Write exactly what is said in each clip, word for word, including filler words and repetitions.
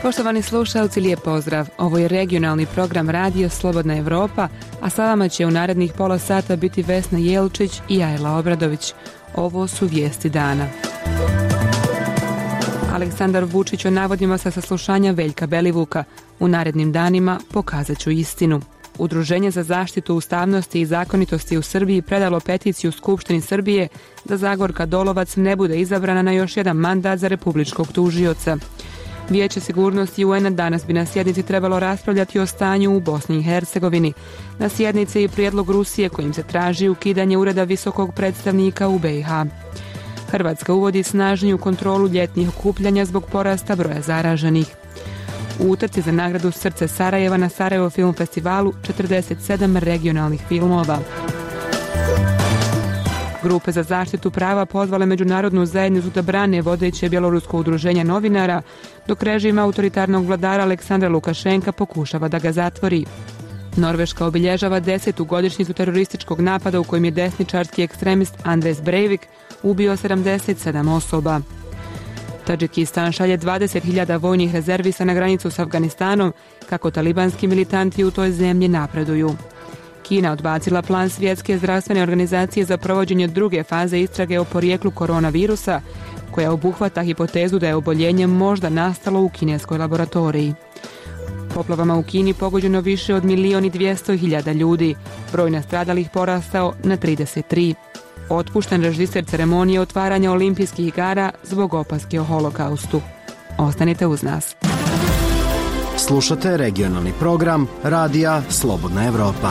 Poštovani slušalci, lijep pozdrav. Ovo je regionalni program Radio Slobodna Evropa, a sa vama će u narednih pola sata biti Vesna Jelčić i Ajla Obradović. Ovo su vijesti dana. Aleksandar Vučić o navodima sa saslušanja Veljka Belivuka. U narednim danima pokazat ću istinu. Udruženje za zaštitu ustavnosti i zakonitosti u Srbiji predalo peticiju Skupštini Srbije da Zagorka Dolovac ne bude izabrana na još jedan mandat za republičkog tužioca. Vijeće sigurnosti U N-a danas bi na sjednici trebalo raspravljati o stanju u Bosni i Hercegovini. Na sjednici je i prijedlog Rusije kojim se traži ukidanje ureda visokog predstavnika u B i H. Hrvatska uvodi snažniju kontrolu ljetnih okupljanja zbog porasta broja zaraženih. U utrci za nagradu Srce Sarajeva na Sarajevo film festivalu četrdeset sedam regionalnih filmova. Grupe za zaštitu prava pozvale međunarodnu zajednicu da brane vodeće bjelorusko udruženje novinara, dok režim autoritarnog vladara Aleksandra Lukašenka pokušava da ga zatvori. Norveška obilježava desetu godišnjicu terorističkog napada u kojem je desničarski ekstremist Andres Breivik ubio sedamdeset sedam osoba. Tadžikistan šalje dvadeset hiljada vojnih rezervista na granicu s Afganistanom kako talibanski militanti u toj zemlji napreduju. Kina odbacila plan Svjetske zdravstvene organizacije za provođenje druge faze istrage o porijeklu koronavirusa, koja obuhvata hipotezu da je oboljenje možda nastalo u kineskoj laboratoriji. Poplavama u Kini pogođeno više od milijon i dvjesto hiljada ljudi, broj nastradalih porastao na trideset tri. Otpušten režiser ceremonije otvaranja olimpijskih igara zbog opaske o holokaustu. Ostanite uz nas. Slušate regionalni program Radija Slobodna Evropa.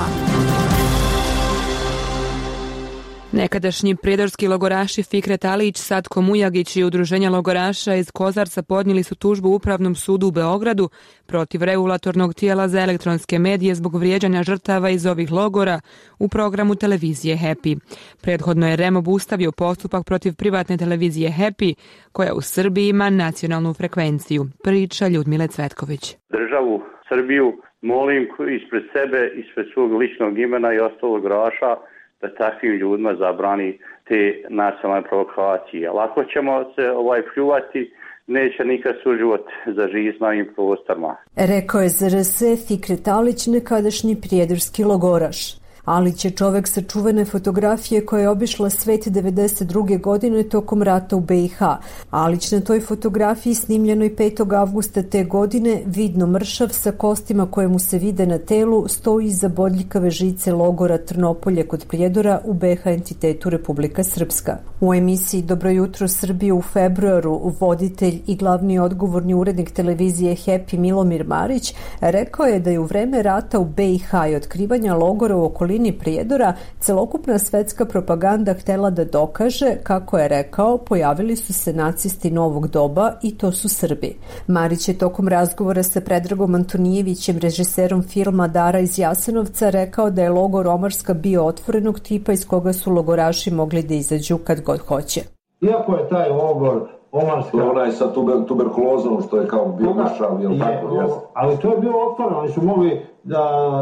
Nekadašnji prijedorski logoraši Fikret Alić, Satko Mujagić i udruženja logoraša iz Kozarca podnijeli su tužbu Upravnom sudu u Beogradu protiv regulatornog tijela za elektronske medije zbog vrijeđanja žrtava iz ovih logora u programu televizije Happy. Prethodno je R E M obustavio postupak protiv privatne televizije Happy, koja u Srbiji ima nacionalnu frekvenciju. Priča Ljudmile Cvetković. Državu Srbiju molim ispred sebe, ispred svog ličnog imena i ostalog logoraša da takvim ljudima zabrani te nacionalne provokacije. Lako ćemo se ovaj pljuvati, neće nikad suživot zaživjeti na ovim prostorima. Rekao je za R S Fikret Alić, nekadašnji prijedorski logoraš. Alić je čovek sa čuvene fotografije koja je obišla svet devedeset druge godine tokom rata u B i H. Alić na toj fotografiji snimljenoj petog avgusta te godine, vidno mršav sa kostima koje mu se vide na telu, stoji iza bodljikave žice logora Trnopolje kod Prijedora u B i H entitetu Republika Srpska. U emisiji Dobro jutro Srbije u februaru voditelj i glavni odgovorni urednik televizije Happy Milomir Marić rekao je da je u vreme rata u B i H i otkrivanja logora u okolini Prijedora celokupna svetska propaganda htjela da dokaže, kako je rekao, pojavili su se nacisti novog doba i to su Srbi. Marić je tokom razgovora sa Predragom Antonijevićem, režiserom filma Dara iz Jasenovca, rekao da je logor Omarska bio otvorenog tipa iz koga su logoraši mogli da izađu kad god hoće. Iako je taj logor Omarska... Onaj sa tuber, tuberkulozom što je kao bio mršav, jel tako? Je, ali to je bilo otvoreno, oni su mogli da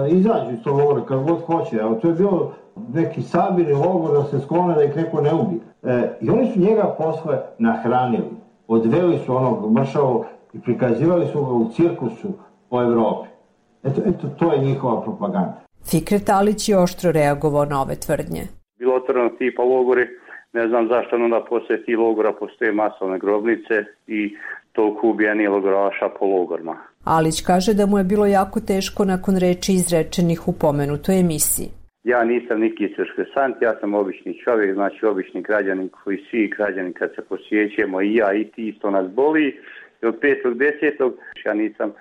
izađu iz tog logora kad god hoće. Evo, to je bilo neki sabirni logor da se sklone da ih neko ne ubije. E, I oni su njega posle nahranili. Odveli su onog mršavog i prikazivali su ga u cirkusu po Evropi. Eto, eto, to je njihova propaganda. Fikret Alić je oštro reagovao na ove tvrdnje. Bilo otvoreno tipa logori. Ne znam zašto onda posle tih logora postoje masovne grobnice i toliko ubijenih logoraša po logorima. Alić kaže da mu je bilo jako teško nakon reči izrečenih u pomenutoj emisiji. Ja nisam neki cirkusant, ja sam obični čovjek, znači obični građanin koji svi građani kad se posjećujemo i ja i ti isto nas boli. I od petog desetog ja nisam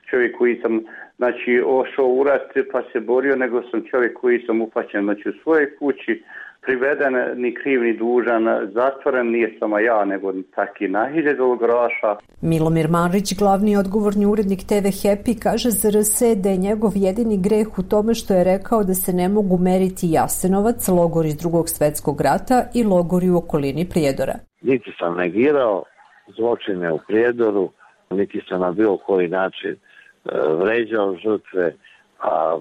čovjek koji sam znači ošao u rat pa se borio, nego sam čovjek koji sam upaćen znači u svojoj kući, priveden, ni kriv ni dužan, zatvoren, nije samo ja, nego taki na hiljadu logoraša. Milomir Marić, glavni odgovorni urednik T V Happy, kaže za R S da je njegov jedini greh u tome što je rekao da se ne mogu meriti Jasenovac, logor iz drugog svetskog rata i logori u okolini Prijedora. Niti sam negirao zločine u Prijedoru, niti sam na bilo koji način e, vređao žrtve, a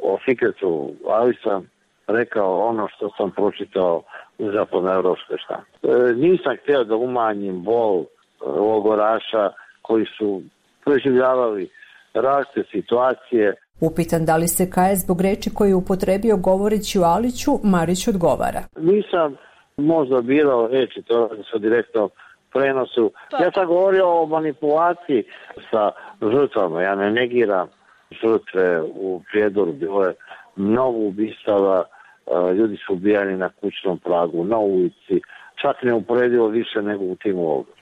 o Fikretu ali sam rekao ono što sam pročitao u zapadnoevropskoj štampi. E, nisam htio da umanjim bol logoraša koji su preživljavali različite situacije. Upitan da li se kaje zbog reči koje je upotrebio govoreći o Aliću, Marić odgovara. Nisam možda birao reči, to radi se o direktnom prenosu. Ja sam govorio o manipulaciji sa žrtvama. Ja ne negiram žrtve u Prijedoru. Bilo je mnogo ubistava, ljudi su ubijani na kućnom pragu, na ulici. Čak ne uporedivo više nego u tim ovdje.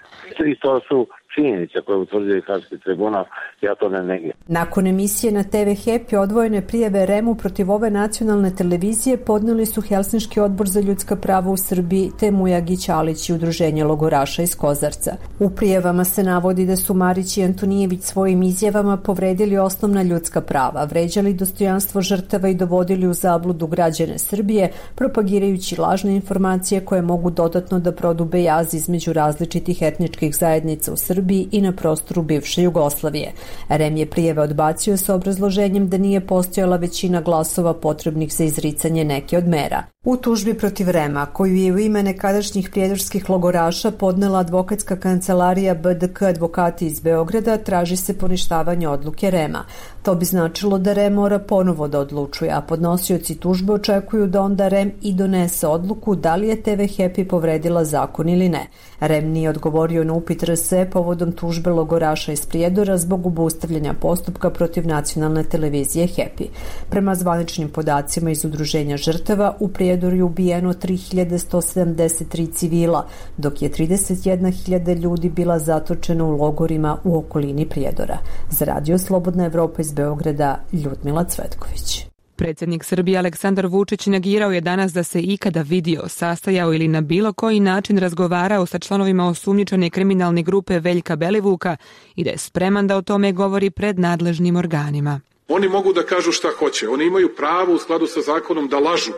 I to su činjenice koje utvrđuje Haški tribunal, ja to ne negiram. Nakon emisije na te ve Happy odvojene prijave er e mu protiv ove nacionalne televizije podneli su Helsinški odbor za ljudska prava u Srbiji te Mujagić, Alić i Udruženje logoraša iz Kozarca. U prijavama se navodi da su Marić i Antonijević svojim izjavama povredili osnovna ljudska prava, vređali dostojanstvo žrtava i dovodili u zabludu građane Srbije, propagirajući lažne informacije koje mogu dodatno da prodube jaz između različitih etničkih zajednica u Srbiji i na prostoru bivše Jugoslavije. er e em je prijave odbacio sa obrazloženjem da nije postojala većina glasova potrebnih za izricanje neke od mera. U tužbi protiv er e em-a, koju je u ime nekadašnjih prijedorskih logoraša podnela advokatska kancelarija be de ka advokati iz Beograda, traži se poništavanje odluke er e em-a. To bi značilo da er e em mora ponovo da odlučuje, a podnosioci tužbe očekuju da onda er e em i donese odluku da li je te ve Happy povredila zakon ili ne. er e em nije odgovorio na upit er es e povodom tužbe logoraša iz Prijedora zbog obustavljanja postupka protiv nacionalne televizije Happy. Prema zvaničnim podacima iz Udruženja žrtava, u Prijedoru je ubijeno tri hiljade sto sedamdeset tri civila, dok je trideset jedna hiljada ljudi bila zatočena u logorima u okolini Prijedora. Za Radio Slobodna Evropa iz Beograda, Ljudmila Cvetković. Predsjednik Srbije Aleksandar Vučić negirao je danas da se ikada vidio, sastajao ili na bilo koji način razgovarao sa članovima osumnjičene kriminalne grupe Veljka Belivuka i da je spreman da o tome govori pred nadležnim organima. Oni mogu da kažu šta hoće, oni imaju pravo u skladu sa zakonom da lažu,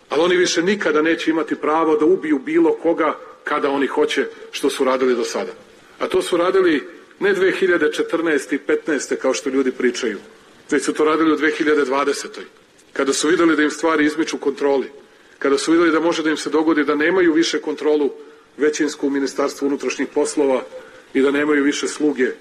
ali oni više nikada neće imati pravo da ubiju bilo koga kada oni hoće, što su radili do sada. A to su radili ne dve hiljade četrnaeste i petnaeste kao što ljudi pričaju, već su to radili u dve hiljade dvadesetoj kada su vidjeli da im stvari izmiču kontroli, kada su vidjeli da može da im se dogodi da nemaju više kontrolu većinsku u Ministarstvu unutrašnjih poslova i da nemaju više sluge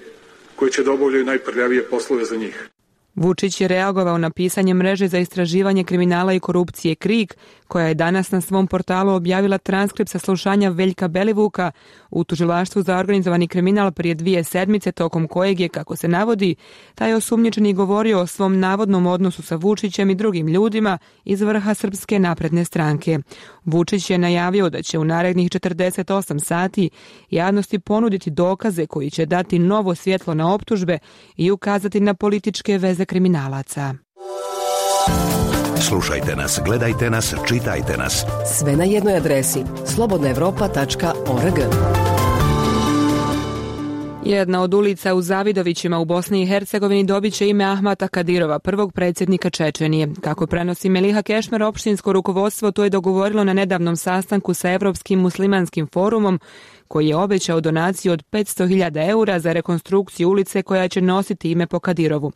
koji će da obavljaju najprljavije poslove za njih. Vučić je reagovao na pisanje mreže za istraživanje kriminala i korupcije KRIK, koja je danas na svom portalu objavila transkript saslušanja Veljka Belivuka u tužilaštvu za organizovani kriminal prije dvije sedmice, tokom kojeg je, kako se navodi, taj osumnjičeni govorio o svom navodnom odnosu sa Vučićem i drugim ljudima iz vrha Srpske napredne stranke. Vučić je najavio da će u narednih četrdeset osam sati javnosti ponuditi dokaze koji će dati novo svjetlo na optužbe i ukazati na političke veze kriminalaca. Slušajte nas, gledajte nas, čitajte nas. Sve na jednoj adresi slobodna evropa tačka org. Jedna od ulica u Zavidovićima u Bosni i Hercegovini dobit će ime Ahmata Kadirova, prvog predsjednika Čečenije. Kako prenosi Meliha Kešmer, opštinsko rukovodstvo to je dogovorilo na nedavnom sastanku sa Evropskim muslimanskim forumom, koji je obećao donaciju od petsto hiljada eura za rekonstrukciju ulice koja će nositi ime po Kadirovu.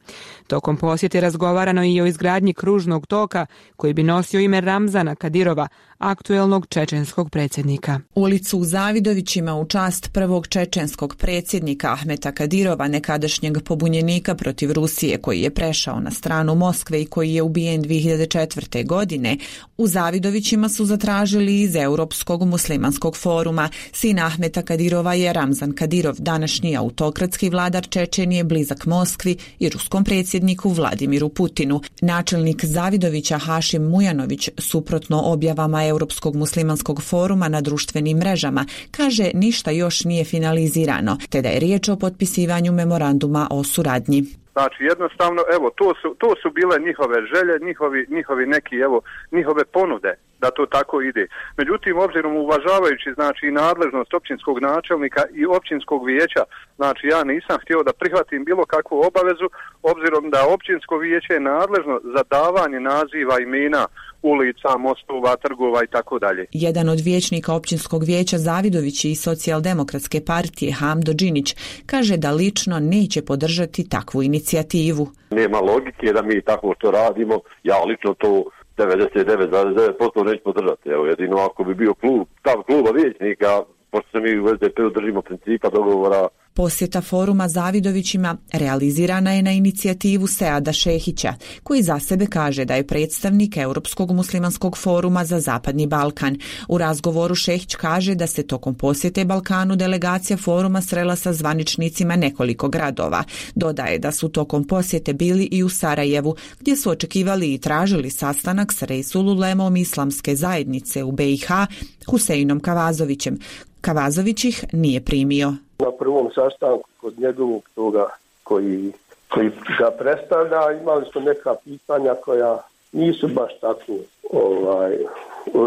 Tokom posjete razgovarano i o izgradnji kružnog toka koji bi nosio ime Ramzana Kadirova, aktuelnog čečenskog predsjednika. Ulicu u Zavidovićima u čast prvog čečenskog predsjednika Ahmeta Kadirova, nekadašnjeg pobunjenika protiv Rusije koji je prešao na stranu Moskve i koji je ubijen dvije hiljade četvrte. godine, u Zavidovićima su zatražili iz Europskog muslimanskog foruma. Sin Ahmeta Kadirova je Ramzan Kadirov, današnji autokratski vladar Čečenije, blizak Moskvi i ruskom predsjedniku Vladimiru Putinu. Načelnik Zavidovića Hašim Mujanović, suprotno objavama Europskog muslimanskog foruma na društvenim mrežama, kaže ništa još nije finalizirano, te da je riječ o potpisivanju memoranduma o suradnji. Znači jednostavno, evo, to su, to su bile njihove želje, njihovi, njihovi neki, evo, njihove ponude da to tako ide. Međutim, obzirom uvažavajući, znači, i nadležnost općinskog načelnika i općinskog vijeća, znači, ja nisam htio da prihvatim bilo kakvu obavezu, obzirom da općinsko vijeće je nadležno za davanje naziva, imena ulica, mostova, trgova i tako dalje. Jedan od vijećnika općinskog vijeća Zavidovići i Socijaldemokratske partije Hamdo Đinić kaže da lično neće podržati takvu inicijativu. Nema logike da mi tako što radimo, ja lično to devedeset devet zarez devet posto neću podržati. Evo, jedino ako bi bio klub, stav kluba vijećnika, pošto se mi u es de pe-u držimo principa dogovora Posjeta foruma Zavidovićima realizirana je na inicijativu Seada Šehića, koji za sebe kaže da je predstavnik Europskog muslimanskog foruma za Zapadni Balkan. U razgovoru Šehić kaže da se tokom posjete Balkanu delegacija foruma srela sa zvaničnicima nekoliko gradova. Dodaje da su tokom posjete bili i u Sarajevu, gdje su očekivali i tražili sastanak s Reisul Ulemom Islamske zajednice u B i H, Huseinom Kavazovićem. Kavazović ih nije primio. Na prvom sastanku kod njegovog toga koji, koji ga predstavlja imali smo neka pitanja koja nisu baš tako ovaj,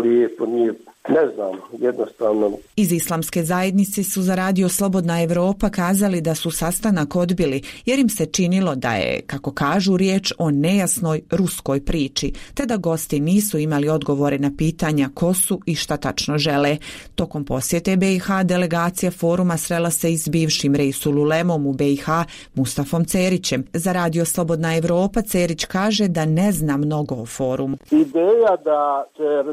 lijepo, nije, ne znam, jednostavno. Iz Islamske zajednice su za radio Slobodna Evropa kazali da su sastanak odbili jer im se činilo da je, kako kažu, riječ o nejasnoj ruskoj priči, te da gosti nisu imali odgovore na pitanja ko su i šta tačno žele. Tokom posjete B i H delegacija foruma srela se i s bivšim Reisul Ulemom u B i H Mustafom Cerićem. Za radio Slobodna Evropa Cerić kaže da ne zna mnogo o forumu. Ideja da,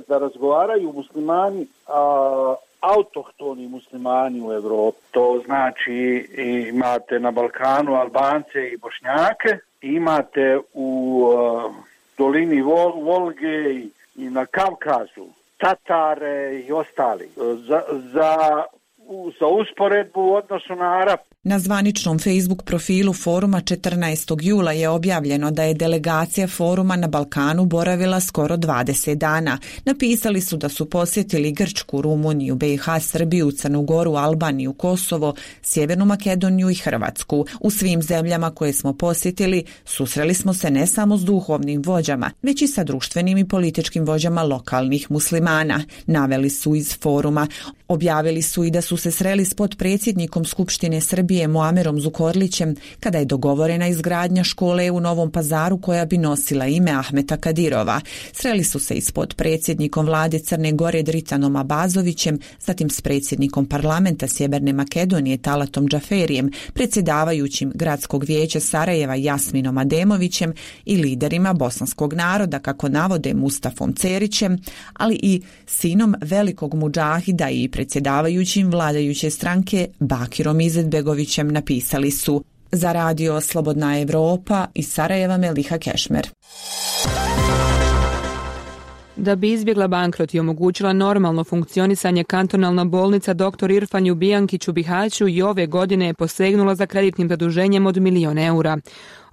da razgovaraju muslimani, a, autohtoni muslimani u Evropi. To znači imate na Balkanu Albance i Bošnjake, imate u a, dolini Vol, Volge i, i na Kavkazu Tatare i ostali. Za, za, za usporedbu u odnosu na Arap. Na zvaničnom Facebook profilu foruma četrnaestog jula je objavljeno da je delegacija foruma na Balkanu boravila skoro dvadeset dana. Napisali su da su posjetili Grčku, Rumuniju, B i H, Srbiju, Crnu Goru, Albaniju, Kosovo, Sjevernu Makedoniju i Hrvatsku. U svim zemljama koje smo posjetili susreli smo se ne samo s duhovnim vođama, već i sa društvenim i političkim vođama lokalnih muslimana, naveli su iz foruma. Objavili su i da su se sreli s potpredsjednikom Skupštine Srbije Muamerom Zukorlićem kada je dogovorena izgradnja škole u Novom Pazaru koja bi nosila ime Ahmeta Kadirova. Sreli su se i s potpredsjednikom vlade Crne Gore Dritanom Abazovićem, zatim s predsjednikom parlamenta Sjeverne Makedonije Talatom Džaferijem, predsjedavajućim gradskog vijeća Sarajeva Jasminom Ademovićem i liderima bosanskog naroda, kako navode Mustafom Cerićem, ali i sinom velikog mudžahida i predsjedavajućim vladajuće stranke Bakirom Izetbegovićem, napisali su. Za radio Slobodna Evropa iz Sarajeva Meliha Kešmer. Da bi izbjegla bankrot i omogućila normalno funkcionisanje, kantonalna bolnica doktor Irfan Ljubijankić u Bihaću i ove godine je posegnula za kreditnim zaduženjem od milion eura.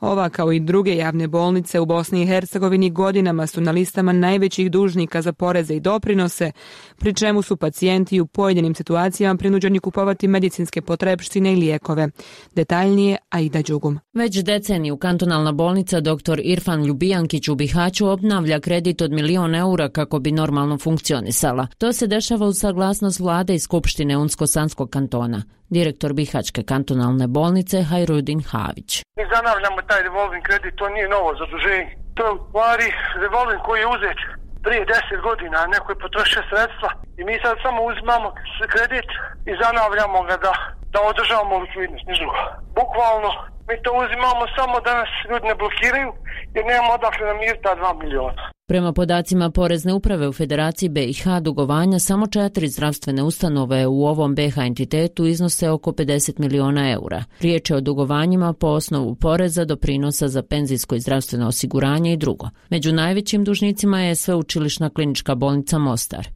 Ova, kao i druge javne bolnice u Bosni i Hercegovini, godinama su na listama najvećih dužnika za poreze i doprinose, pri čemu su pacijenti u pojedinim situacijama prinuđeni kupovati medicinske potrepštine i lijekove. Detaljnije Aida Đugum. Već deceniju kantonalna bolnica doktor Irfan Ljubijankić u Bihaću obnavlja kredit od milion eura kako bi normalno funkcionisala. To se dešava uz saglasnost vlade i Skupštine Unsko-Sanskog kantona. Direktor Bihaćke kantonalne bolnice Hajrudin Havić. Mi zanavljamo taj revolving kredit, to nije novo zaduženje. To je u stvari revolving koji je uzet prije deset godina, a neko je potrošio sredstva i mi sad samo uzimamo kredit i zanavljamo ga da, da održavamo likvidnost, niš drugo. Bukvalno mi to uzimamo samo da nas ljudi ne blokiraju jer nemamo odakle namiriti ta dva miliona. Prema podacima Porezne uprave u Federaciji B i H, dugovanja samo četiri zdravstvene ustanove u ovom B H entitetu iznose oko pedeset miliona eura. Riječ je o dugovanjima po osnovu poreza, doprinosa za penzijsko i zdravstveno osiguranje i drugo. Među najvećim dužnicima je Sveučilišna klinička bolnica Mostar.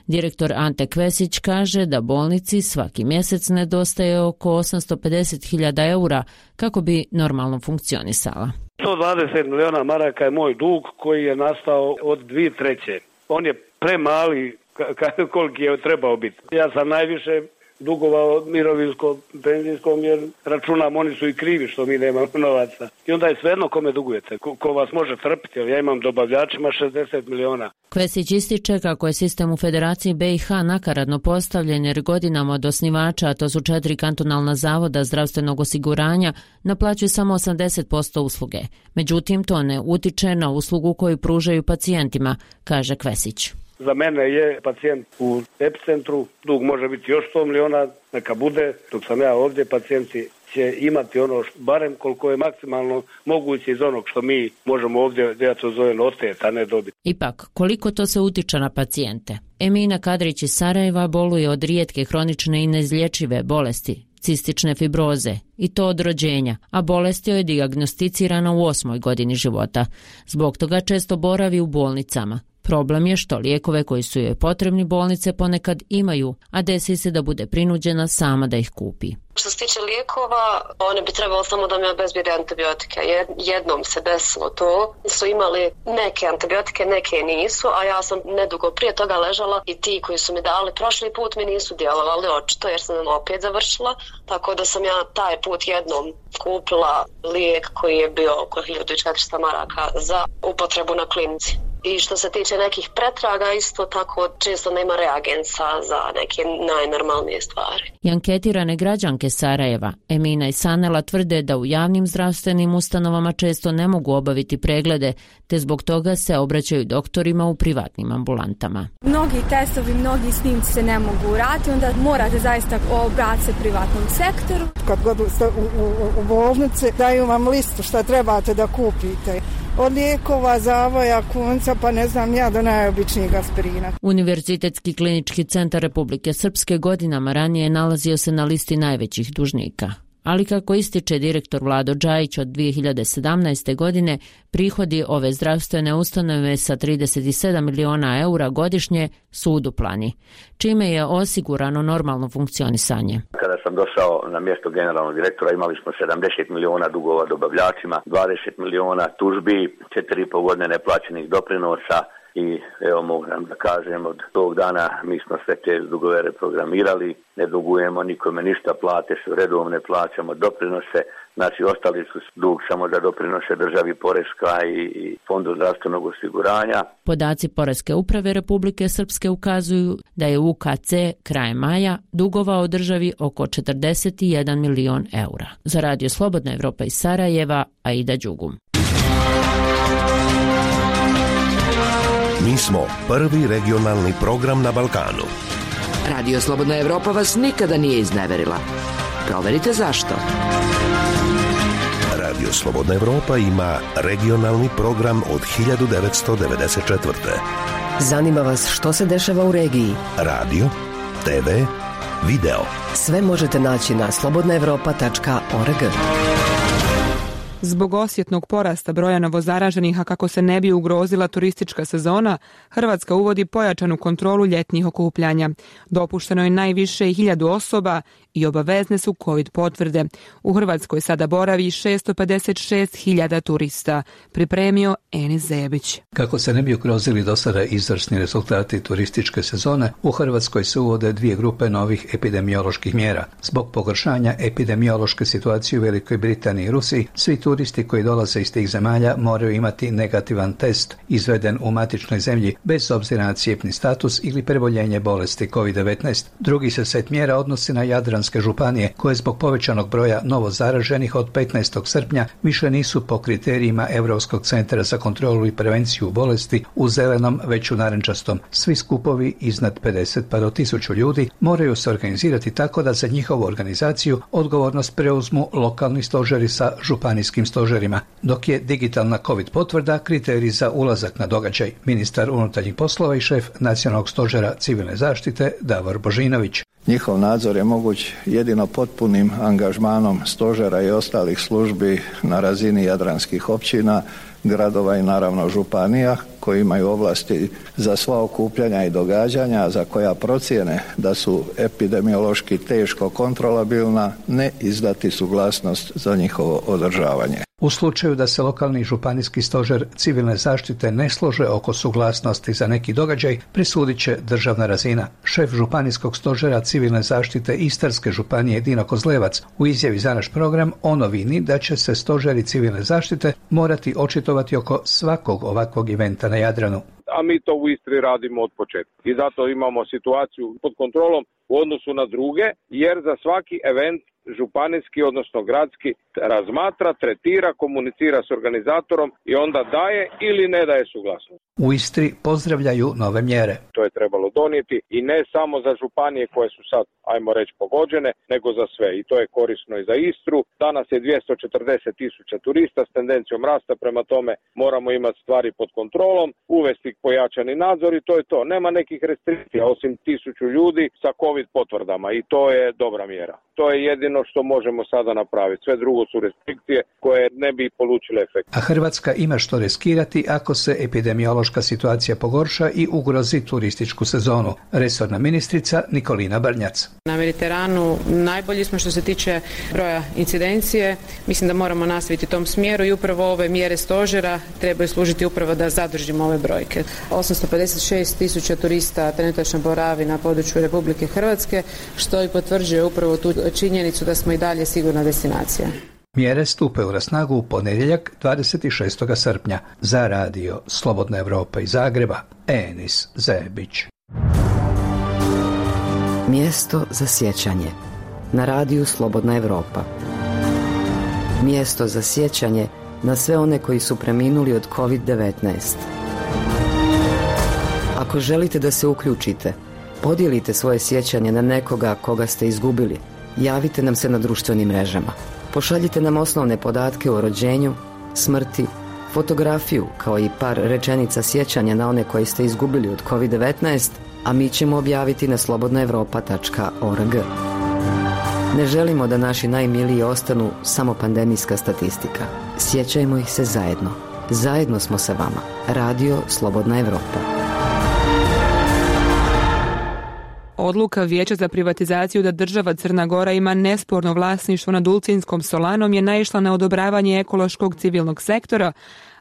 Direktor Ante Kvesić kaže da bolnici svaki mjesec nedostaje oko osamsto pedeset hiljada eura kako bi normalno funkcionisala. sto dvadeset miliona maraka je moj dug koji je nastao od dvije treće. On je premali koliki je trebao biti. Ja sam najviše dugovao mirovinskom, penzijskom jer računam oni su i krivi što mi nemamo novaca. I onda je svejedno kome dugujete, ko, ko vas može trpiti, jer ja imam dobavljačima šezdeset miliona. Kvesić ističe kako je sistem u Federaciji B i H nakaradno postavljen jer godinama od osnivača, a to su četiri kantonalna zavoda zdravstvenog osiguranja, naplaćuju samo osamdeset posto usluge. Međutim, to ne utiče na uslugu koju pružaju pacijentima, kaže Kvesić. Za mene je pacijent u epicentru, dug može biti još sto miliona, neka bude, dok sam ja ovdje, pacijenti će imati ono, što, barem koliko je maksimalno moguće iz onog što mi možemo ovdje, da ja to zovem, oteti, a ne dobiti. Ipak, koliko to se utiče na pacijente? Emina Kadrić iz Sarajeva boluje od rijetke, hronične i neizlječive bolesti, cistične fibroze, i to od rođenja, a bolest joj je dijagnosticirana u osmoj godini života. Zbog toga često boravi u bolnicama. Problem je što lijekove koji su joj potrebni bolnice ponekad imaju, a desi se da bude prinuđena sama da ih kupi. Što se tiče lijekova, oni bi trebalo samo da mi obezbijede antibiotike. Jednom se desilo to, su imali neke antibiotike, neke nisu, a ja sam nedugo prije toga ležala i ti koji su mi dali prošli put mi nisu djelovali očito jer sam opet završila, tako da sam ja taj put jednom kupila lijek koji je bio oko hiljadu četiristo maraka za upotrebu na klinici. I što se tiče nekih pretraga, isto tako često nema reagensa za neke najnormalnije stvari. I anketirane građanke Sarajeva, Emina i Sanela, tvrde da u javnim zdravstvenim ustanovama često ne mogu obaviti preglede, te zbog toga se obraćaju doktorima u privatnim ambulantama. Mnogi testovi, mnogi snimci se ne mogu uraditi, onda morate zaista obratiti se privatnom sektoru. Kad god ste u, u, u bolnici, daju vam listu šta trebate da kupite. Od lijekova, zavoja, kunca, pa ne znam ja, do najobičnijeg aspirina. Univerzitetski klinički centar Republike Srpske godinama ranije nalazio se na listi najvećih dužnika. Ali kako ističe direktor Vlado Džajić, od dvije hiljade sedamnaeste. godine prihodi ove zdravstvene ustanove sa trideset sedam miliona eura godišnje su uduplani, čime je osigurano normalno funkcionisanje. Kada sam došao na mjesto generalnog direktora imali smo sedamdeset miliona dugova dobavljačima, dvadeset miliona tužbi, četiri i pol godine neplaćenih doprinosa. I evo moram da kažem, od tog dana mi smo sve te dugove reprogramirali, ne dugujemo nikome ništa, plate su redovne, plaćamo doprinose, znači ostali su dug samo za doprinose državi, Poreska i, i Fondu zdravstvenog osiguranja. Podaci Poreske uprave Republike Srpske ukazuju da je U K C krajem maja dugovao državi oko četrdeset jedan milion eura. Za Radio Slobodna Evropa iz Sarajeva, Aida Đugum. Mi smo prvi regionalni program na Balkanu. Radio Slobodna Evropa vas nikada nije izneverila. Proverite zašto. Radio Slobodna Evropa ima regionalni program od hiljadu devetsto devedeset četvrte. Zanima vas što se dešava u regiji? Radio, te ve, video. Sve možete naći na slobodna evropa tačka org. Zbog osjetnog porasta broja novozaraženih, a kako se ne bi ugrozila turistička sezona, Hrvatska uvodi pojačanu kontrolu ljetnih okupljanja. Dopušteno je najviše hiljadu osoba i obavezne su COVID potvrde. U Hrvatskoj sada boravi šesto pedeset šest hiljada turista, pripremio Enis Zebić. Kako se ne bi ugrozili do sada izvrsni rezultati turističke sezone, u Hrvatskoj se uvode dvije grupe novih epidemioloških mjera. Zbog pogoršanja epidemiološke situacije u Velikoj Britaniji i Rusiji, svi turisti koji dolaze iz tih zemalja moraju imati negativan test izveden u matičnoj zemlji bez obzira na cijepni status ili preboljenje bolesti kovid devetnaest. Drugi se set mjera odnosi na jadranske županije koje zbog povećanog broja novozaraženih od petnaestog srpnja više nisu po kriterijima Europskog centra za kontrolu i prevenciju bolesti u zelenom već u narančastom. Svi skupovi iznad pedeset pa do tisuću ljudi moraju se organizirati tako da za njihovu organizaciju odgovornost preuzmu lokalni stožeri sa županijskim stožerima, dok je digitalna COVID potvrda kriterij za ulazak na događaj. Ministar unutarnjih poslova i šef Nacionalnog stožera civilne zaštite Davor Božinović. Njihov nadzor je moguć jedino potpunim angažmanom stožera i ostalih službi na razini jadranskih općina, gradova i naravno županija koji imaju ovlasti za sva okupljanja i događanja za koja procijene da su epidemiološki teško kontrolabilna, ne izdati suglasnost za njihovo održavanje. U slučaju da se lokalni županijski stožer civilne zaštite ne slože oko suglasnosti za neki događaj, presudit će državna razina. Šef županijskog stožera civilne zaštite Istarske županije Dino Kozlevac u izjavi za naš program o novini da će se stožeri civilne zaštite morati očitovati oko svakog ovakvog eventa na Jadranu. A mi to u Istri radimo od početka. I zato imamo situaciju pod kontrolom u odnosu na druge, jer za svaki event županijski, odnosno gradski, razmatra, tretira, komunicira s organizatorom i onda daje ili ne daje suglasnost. U Istri pozdravljaju nove mjere. To je trebalo donijeti i ne samo za županije koje su sad, ajmo reći, pogođene, nego za sve. I to je korisno i za Istru. Danas je dvjesto četrdeset tisuća turista s tendencijom rasta, prema tome moramo imati stvari pod kontrolom, uvesti pojačani nadzor i to je to. Nema nekih restrikcija osim tisuću ljudi sa COVID potvrdama i to je dobra mjera. To je jedino što možemo sada napraviti. Sve drugo su restrikcije koje ne bi polučile efekt. A Hrvatska ima što riskirati ako se epidemiološka situacija pogorša i ugrozi turističku sezonu. Resorna ministrica Nikolina Brnjac. Na Mediteranu najbolji smo što se tiče broja incidencije. Mislim da moramo nastaviti tom smjeru i upravo ove mjere stožera trebaju služiti upravo da zadržimo ove brojke. osamsto pedeset šest tisuća turista trenutačno boravi na području Republike Hrvatske, što i potvrđuje upravo tu činjenicu da smo i dalje sigurna destinacija. Mjere stupaju na snagu u ponedjeljak dvadeset šestog srpnja. Za radio Slobodna Evropa iz Zagreba, Enis Zebić. Mjesto za sjećanje na radiju Slobodna Evropa. Mjesto za sjećanje na sve one koji su preminuli od kovid devetnaest. Ako želite da se uključite, podijelite svoje sjećanje na nekoga koga ste izgubili. Javite nam se na društvenim mrežama. Pošaljite nam osnovne podatke o rođenju, smrti, fotografiju kao i par rečenica sjećanja na one koje ste izgubili od kovid devetnaest, a mi ćemo objaviti na slobodna evropa tačka org. Ne želimo da naši najmiliji ostanu samo pandemijska statistika. Sjećajmo ih se zajedno. Zajedno smo sa vama. Radio Slobodna Evropa. Odluka Vijeća za privatizaciju da država Crna Gora ima nesporno vlasništvo nad Ulcinjskom solanom je naišla na odobravanje ekološkog civilnog sektora,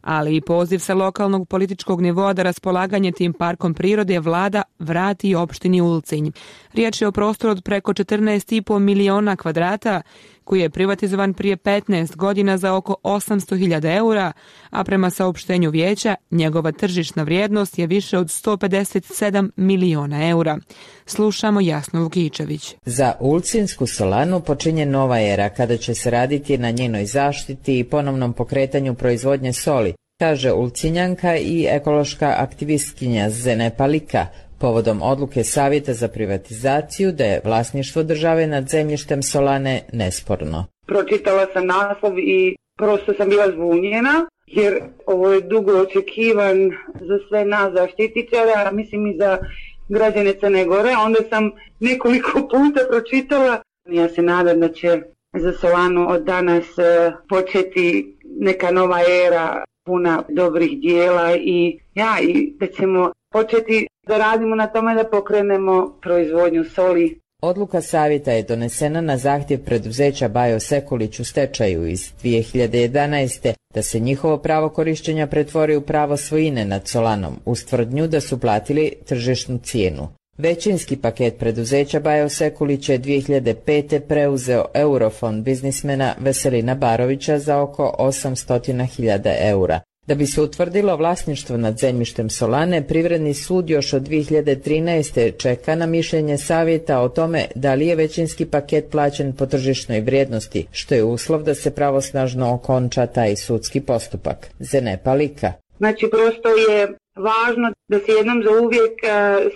ali i poziv sa lokalnog političkog nivoa da raspolaganje tim parkom prirode vlada vrati opštini Ulcinj. Riječ je o prostoru od preko četrnaest i po miliona kvadrata, koji je privatizovan prije petnaest godina za oko osamsto hiljada eura, a prema saopštenju vijeća njegova tržišna vrijednost je više od sto pedeset sedam miliona eura. Slušamo Jasnu Vukičević. Za Ulcinjsku solanu počinje nova era kada će se raditi na njenoj zaštiti i ponovnom pokretanju proizvodnje soli, kaže Ulcinjanka i ekološka aktivistkinja Zene Palika, povodom odluke Savjeta za privatizaciju da je vlasništvo države nad zemljištem solane nesporno. Pročitala sam naslov i prosto sam bila zbunjena, jer ovo je dugo očekivan za sve nas zaštitičara, mislim i za građane Crne Gore. Onda sam nekoliko puta pročitala. Ja se nadam da će za solanu od danas početi neka nova era puna dobrih dijela i ja i da ćemo početi da radimo na tome da pokrenemo proizvodnju soli. Odluka savjeta je donesena na zahtjev preduzeća Bajo Sekulić u stečaju iz dvije hiljade jedanaeste da se njihovo pravo korištenja pretvori u pravo svojine nad solanom uz tvrdnju da su platili tržišnu cijenu. Većinski paket preduzeća Bajo Sekulić je dvije hiljade pete preuzeo Eurofond biznismena Veselina Barovića za oko osamsto hiljada eura. Da bi se utvrdilo vlasništvo nad zemljištem solane, Privredni sud još od dvije hiljade trinaeste čeka na mišljenje savjeta o tome da li je većinski paket plaćen po tržišnoj vrijednosti, što je uslov da se pravosnažno okonča taj sudski postupak. Zene Palika. Znači, prosto je važno da se jednom za uvijek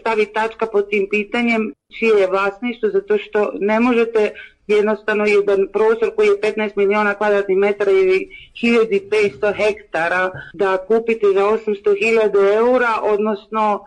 stavi tačka pod tim pitanjem čije je vlasništvo, zato što ne možete jednostavno jedan prostor koji je petnaest miliona kvadratnih metara ili hiljadu petsto hektara da kupite za osamsto hiljada eura, odnosno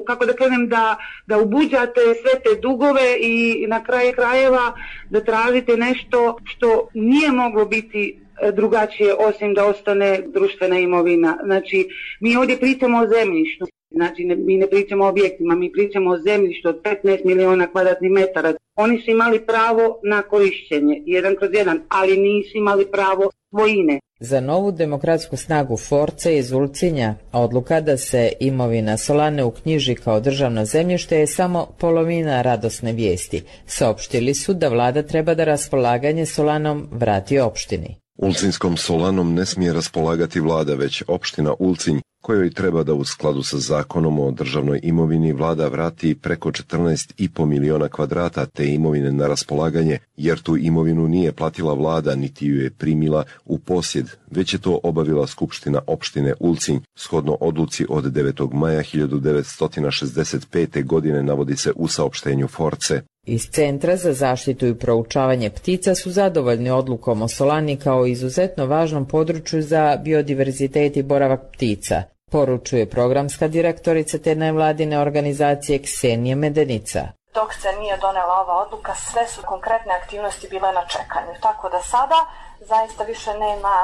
kako da kažem da, da ubuđate sve te dugove i na kraju krajeva da tražite nešto što nije moglo biti drugačije osim da ostane društvena imovina. Znači, mi ovdje pričamo o zemljištu. Znači, ne, mi ne pričamo o objektima, mi pričamo o zemljištu od petnaest miliona kvadratnih metara. Oni su imali pravo na korišćenje, jedan kroz jedan, ali nisu imali pravo svojine. Za novu demokratsku snagu Force iz Ulcinja odluka da se imovina solane uknjiži kao državno zemljište je samo polovina radosne vijesti. Saopštili su da vlada treba da raspolaganje solanom vrati opštini. Ulcinjskom solanom ne smije raspolagati vlada, već opština Ulcinj, kojoj treba da u skladu sa zakonom o državnoj imovini vlada vrati preko četrnaest i po miliona kvadrata te imovine na raspolaganje, jer tu imovinu nije platila vlada niti ju je primila u posjed, već je to obavila Skupština opštine Ulcinj, shodno odluci od devetog maja hiljadu devetsto šezdeset pete. godine, navodi se u saopštenju Force. Iz Centra za zaštitu i proučavanje ptica su zadovoljni odlukom o solani kao izuzetno važnom području za biodiverzitet i boravak ptica, poručuje programska direktorica te nevladine organizacije Ksenija Medenica. Dok se nije donela ova odluka, sve su konkretne aktivnosti bile na čekanju. Tako da sada zaista više nema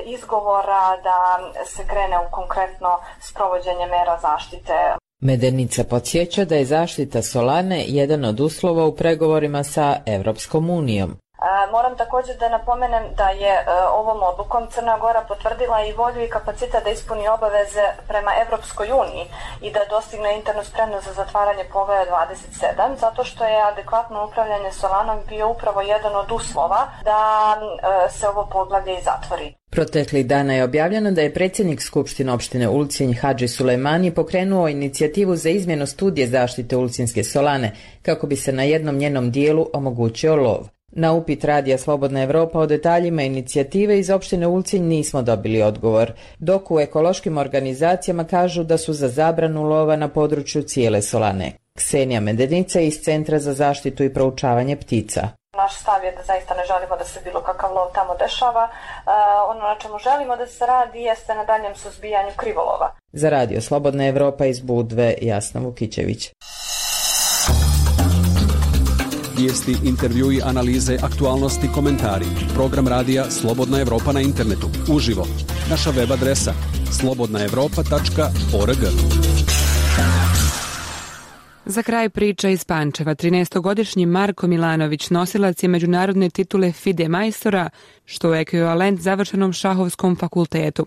izgovora da se krene u konkretno sprovođenje mera zaštite. Medenica podsjeća da je zaštita Solane jedan od uslova u pregovorima sa Evropskom unijom. Moram također da napomenem da je ovom odlukom Crna Gora potvrdila i volju i kapacitet da ispuni obaveze prema Evropskoj uniji i da dostigne internu spremnost za zatvaranje poglavlja dvadeset sedam, zato što je adekvatno upravljanje Solanom bio upravo jedan od uslova da se ovo poglavlje i zatvori. Proteklih dana je objavljeno da je predsjednik Skupštine opštine Ulcinj Hadži Sulejmani pokrenuo inicijativu za izmjenu studije zaštite Ulcinjske Solane kako bi se na jednom njenom dijelu omogućio lov. Na upit radija Slobodna Evropa o detaljima inicijative iz opštine Ulcinj nismo dobili odgovor, dok u ekološkim organizacijama kažu da su za zabranu lova na području cijele Solane. Ksenija Medenica iz Centra za zaštitu i proučavanje ptica. Naš stav je da zaista ne želimo da se bilo kakav lov tamo dešava. E, ono na čemu želimo da se radi jeste na daljem suzbijanju krivolova. Za radio Slobodna Evropa iz Budve, Jasna Vukićević. Vijesti, intervjui, analize, aktualnosti, komentari. Program radija Slobodna Evropa na internetu. Uživo. Naša web adresa slobodna evropa tačka org. Za kraj priča iz Pančeva. trinaestogodišnji Marko Milanović nosilac je međunarodne titule FIDE majstora, što je ekvivalent završenom šahovskom fakultetu.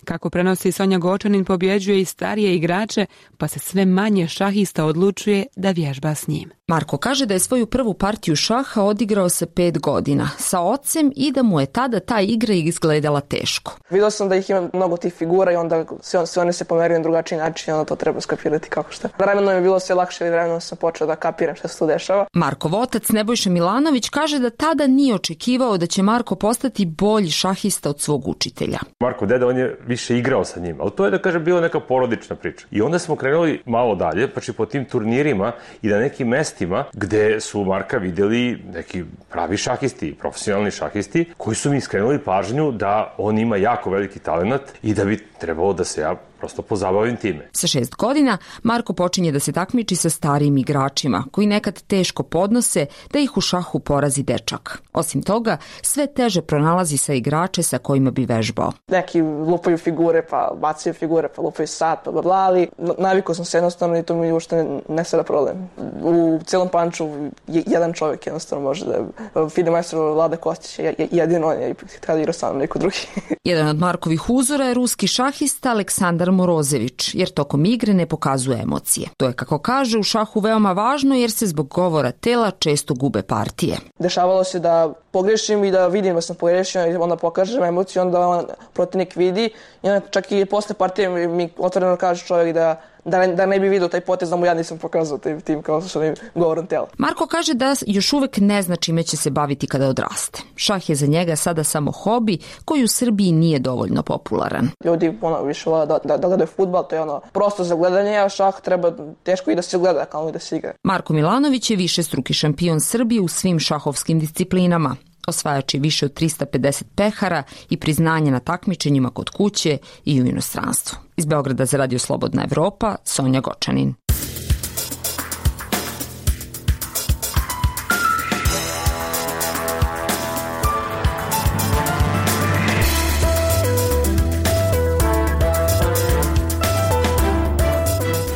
Kako prenosi Sonja Gočanin, pobjeđuje i starije igrače, pa se sve manje šahista odlučuje da vježba s njim. Marko kaže da je svoju prvu partiju šaha odigrao sa pet godina, sa ocem i da mu je tada ta igra izgledala teško. Vidio sam da ih ima mnogo tih figura i onda sve, sve one se pomeraju na drugačiji način i onda to treba skapirati kako šta. Vremenom je bilo sve lakše i vremenom sam počeo da kapiram šta se tu dešava. Markov otac Nebojša Milanović kaže da tada nije očekivao da će Marko postati bolji šahista od svog učitelja. Marko deda, on je više igrao sa njim, ali to je da kaže bila neka porodična priča. I onda smo krenuli malo dalje, pa či po tim turnirima i na nekim mestima gde su Marka videli neki pravi šahisti, profesionalni šahisti, koji su mi skrenuli pažnju da on ima jako veliki talenat i da bi trebalo da se ja prosto pozabavim time. Sa šest godina Marko počinje da se takmiči sa starijim igračima, koji nekad teško podnose da ih u šahu porazi dečak. Osim toga, sve teže pronalazi sa igrače sa kojima bi vežbao. Neki lupaju figure, pa bacaju figure, pa lupaju sat, pa bla bla, ali navikao sam se jednostavno i to mi uopšte ne, ne sada problem. U celom Panču jedan čovjek jednostavno može da FIDE majstor Vlada Kostić je jedino on je kada igra sam neko drugi. Jedan od Markovih uzora je ruski šahista Aleksandar Morozević, jer tokom igre ne pokazuje emocije. To je, kako kaže, u šahu veoma važno jer se zbog govora tela često gube partije. Dešavalo se da pogrešim i da vidim da sam pogrešio i onda pokažem emociju, onda on protivnik vidi i onda čak i posle partije mi otvoreno kaže čovjek da Da ne, da ne bi vidio taj potez da mu ja nisam pokazao tim, tim kao što je govorom tela. Marko kaže da još uvek ne zna čime će se baviti kada odraste. Šah je za njega sada samo hobi koji u Srbiji nije dovoljno popularan. Ljudi ono, više vole da, da, da gledaju fudbal, to je ono prosto za gledanje, a šah treba teško i da se gleda kao i da se igra. Marko Milanović je višestruki šampion Srbije u svim šahovskim disciplinama. Osvajač je više od trista pedeset pehara i priznanja na takmičenjima kod kuće i u inostranstvu. Iz Beograda za Radio Slobodna Evropa, Sonja Gočanin.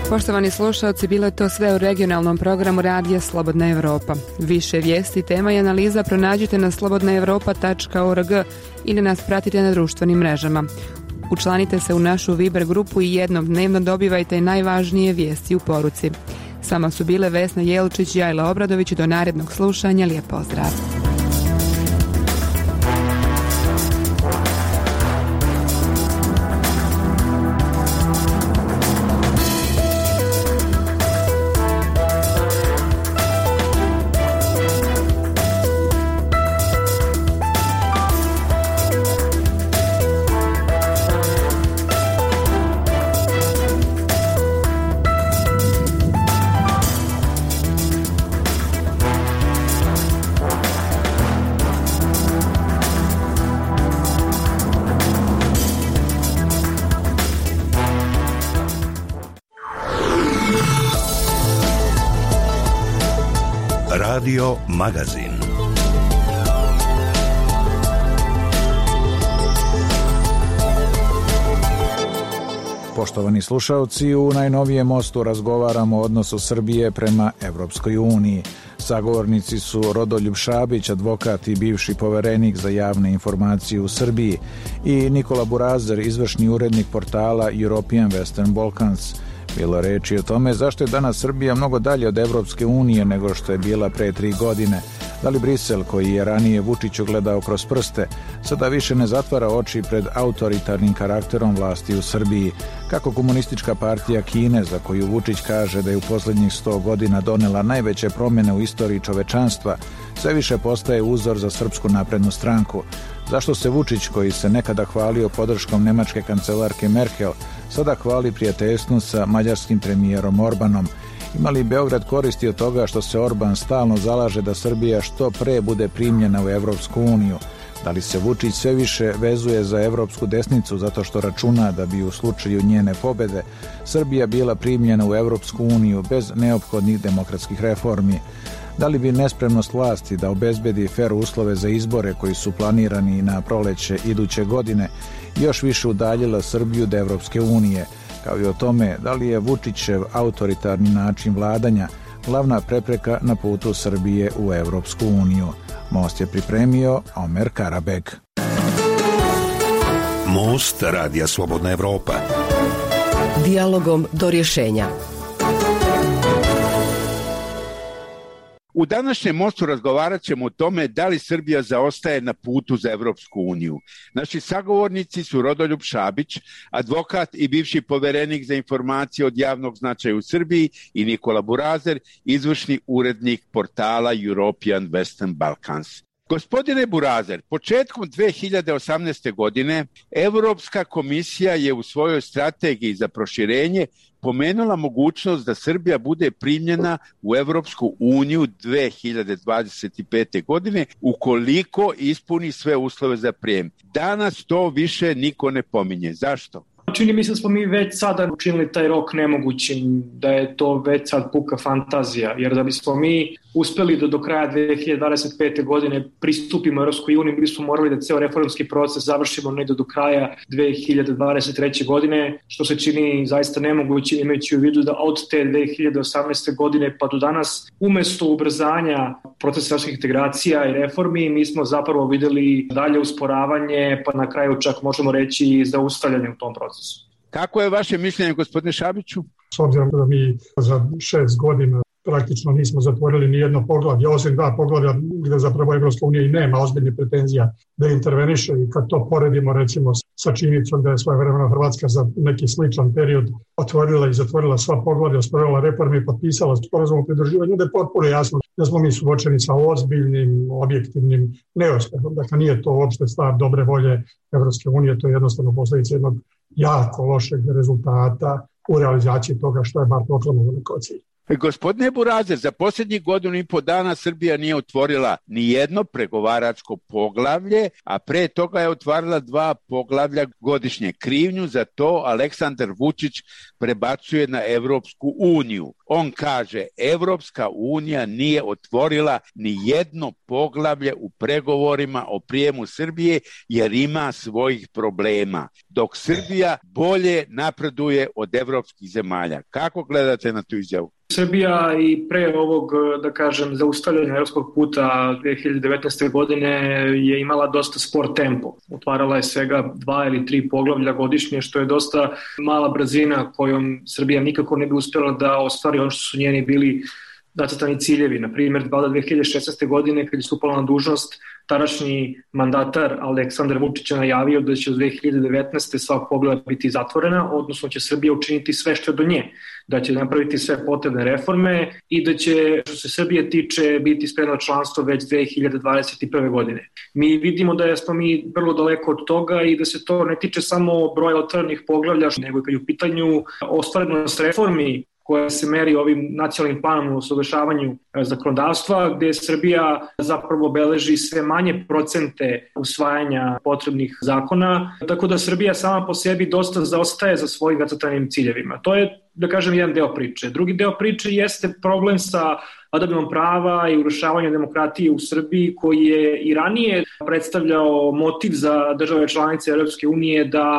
Poštovani slušalci, bilo je to sve u regionalnom programu Radija Slobodna Evropa. Više vijesti, tema i analiza pronađite na slobodna evropa tačka org ili nas pratite na društvenim mrežama. Učlanite se u našu Viber grupu i jednom dnevno dobivajte najvažnije vijesti u poruci. Sama su bile Vesna Jelčić i Ajla Obradović. Do narednog slušanja, lijep pozdrav. Radio Magazin. Poštovani slušalci, u najnovijem mostu razgovaramo o odnosu Srbije prema Evropskoj uniji. Sagovornici su Rodoljub Šabić, advokat i bivši poverenik za javne informacije u Srbiji, i Nikola Burazer, izvršni urednik portala European Western Balkans. Bilo reči o tome zašto je danas Srbija mnogo dalje od Evropske unije nego što je bila pre tri godine. Da li Brisel, koji je ranije Vučiću gledao kroz prste, sada više ne zatvara oči pred autoritarnim karakterom vlasti u Srbiji? Kako komunistička partija Kine, za koju Vučić kaže da je u posljednjih sto godina donela najveće promjene u istoriji čovečanstva, sve više postaje uzor za Srpsku naprednu stranku? Zašto se Vučić, koji se nekada hvalio podrškom nemačke kancelarke Merkel, sada hvali prijateljstvom sa mađarskim premijerom Orbanom? Ima li Beograd koristi od toga što se Orban stalno zalaže da Srbija što pre bude primljena u Evropsku uniju? Da li se Vučić sve više vezuje za evropsku desnicu zato što računa da bi u slučaju njene pobede Srbija bila primljena u Evropsku uniju bez neophodnih demokratskih reformi? Da li bi nespremnost vlasti da obezbedi fer uslove za izbore koji su planirani na proleće iduće godine još više udaljila Srbiju od Evropske unije, kao i o tome da li je Vučićev autoritarni način vladanja glavna prepreka na putu Srbije u Evropsku uniju? Most je pripremio Omer Karabeg. Most Radija Slobodna Evropa. Dijalogom do rješenja. U današnjem mostu razgovarat ćemo o tome da li Srbija zaostaje na putu za Evropsku uniju. Naši sagovornici su Rodoljub Šabić, advokat i bivši poverenik za informacije od javnog značaja u Srbiji, i Nikola Burazer, izvršni urednik portala European Western Balkans. Gospodine Burazer, početkom dve hiljade osamnaeste. godine Evropska komisija je u svojoj strategiji za proširenje pomenula mogućnost da Srbija bude primljena u Evropsku uniju dve hiljade dvadeset pete. godine ukoliko ispuni sve uslove za prijem. Danas to više niko ne pominje. Zašto? Čini mi se da smo mi već sada učinili taj rok nemogućim, da je to već sad puka fantazija, jer da bismo mi uspeli da do kraja dve hiljade dvadeset pete. godine pristupimo Evropskoj uniji, mi smo morali da ceo reformski proces završimo negde do kraja dve hiljade dvadeset treće. godine, što se čini zaista nemoguće, imajući u vidu da od te dve hiljade osamnaeste. godine pa do danas, umesto ubrzanja procesa evropskih integracija i reformi, mi smo zapravo videli dalje usporavanje, pa na kraju čak možemo reći i zaustavljanje u tom procesu. Kako je vaše mišljenje, gospodine Šabiću? S obzirom da mi za šest godina praktično nismo zatvorili ni jedno poglavlje, osim dva poglavlja gde zapravo Evropska unija i nema ozbiljnih pretenzija da interveniše, i kad to poredimo recimo sa činjenicom da je svojevremeno Hrvatska za neki sličan period otvorila i zatvorila sva poglavlja, sprovela reforme i potpisala sporazum o pridruživanju, da je potpuno jasno da smo mi suočeni sa ozbiljnim, objektivnim neuspehom. Dakle, nije to uopšte stvar dobre volje Evropske unije, to je jednostavno posljedica jednog jako lošeg rezultata u realizaciji toga što je bar proklamovano kao cilj. Gospodine Burazer, za posljednjih godinu i po dana Srbija nije otvorila ni jedno pregovaračko poglavlje, a pre toga je otvarala dva poglavlja godišnje. Krivnju za to Aleksandar Vučić prebacuje na Evropsku uniju. On kaže, Evropska unija nije otvorila ni jedno poglavlje u pregovorima o prijemu Srbije jer ima svojih problema, dok Srbija bolje napreduje od evropskih zemalja. Kako gledate na tu izjavu? Srbija i pre ovog, da kažem, zaustavljanja evropskog puta dve hiljade devetnaeste. godine je imala dosta spor tempo. Otvarala je svega dva ili tri poglavlja godišnje, što je dosta mala brzina kojom Srbija nikako ne bi uspjela da ostvari ono što su njeni bili zacrtani ciljevi. Na primjer, dve hiljade šesnaeste. godine, kad je stupala na dužnost, tadašnji mandatar Aleksandar Vučić je najavio da će od dve hiljade devetnaeste. sva poglavlja biti zatvorena, odnosno će Srbija učiniti sve što je do nje, da će napraviti sve potrebne reforme i da će, što se Srbije tiče, biti spremno članstvo već dve hiljade dvadeset prve. godine. Mi vidimo da smo mi vrlo daleko od toga i da se to ne tiče samo broja otvorenih poglavlja, nego i kad je u pitanju ostvarenost reformi koja se meri ovim nacionalnim planom u usaglašavanju zakonodavstva, gde Srbija zapravo beleži sve manje procente usvajanja potrebnih zakona, tako da Srbija sama po sebi dosta zaostaje za svojim zacrtanim ciljevima. To je, da kažem, jedan deo priče. Drugi deo priče jeste problem sa vladavinom prava i urušavanjem demokratije u Srbiji, koji je i ranije predstavljao motiv za države članice Europske unije da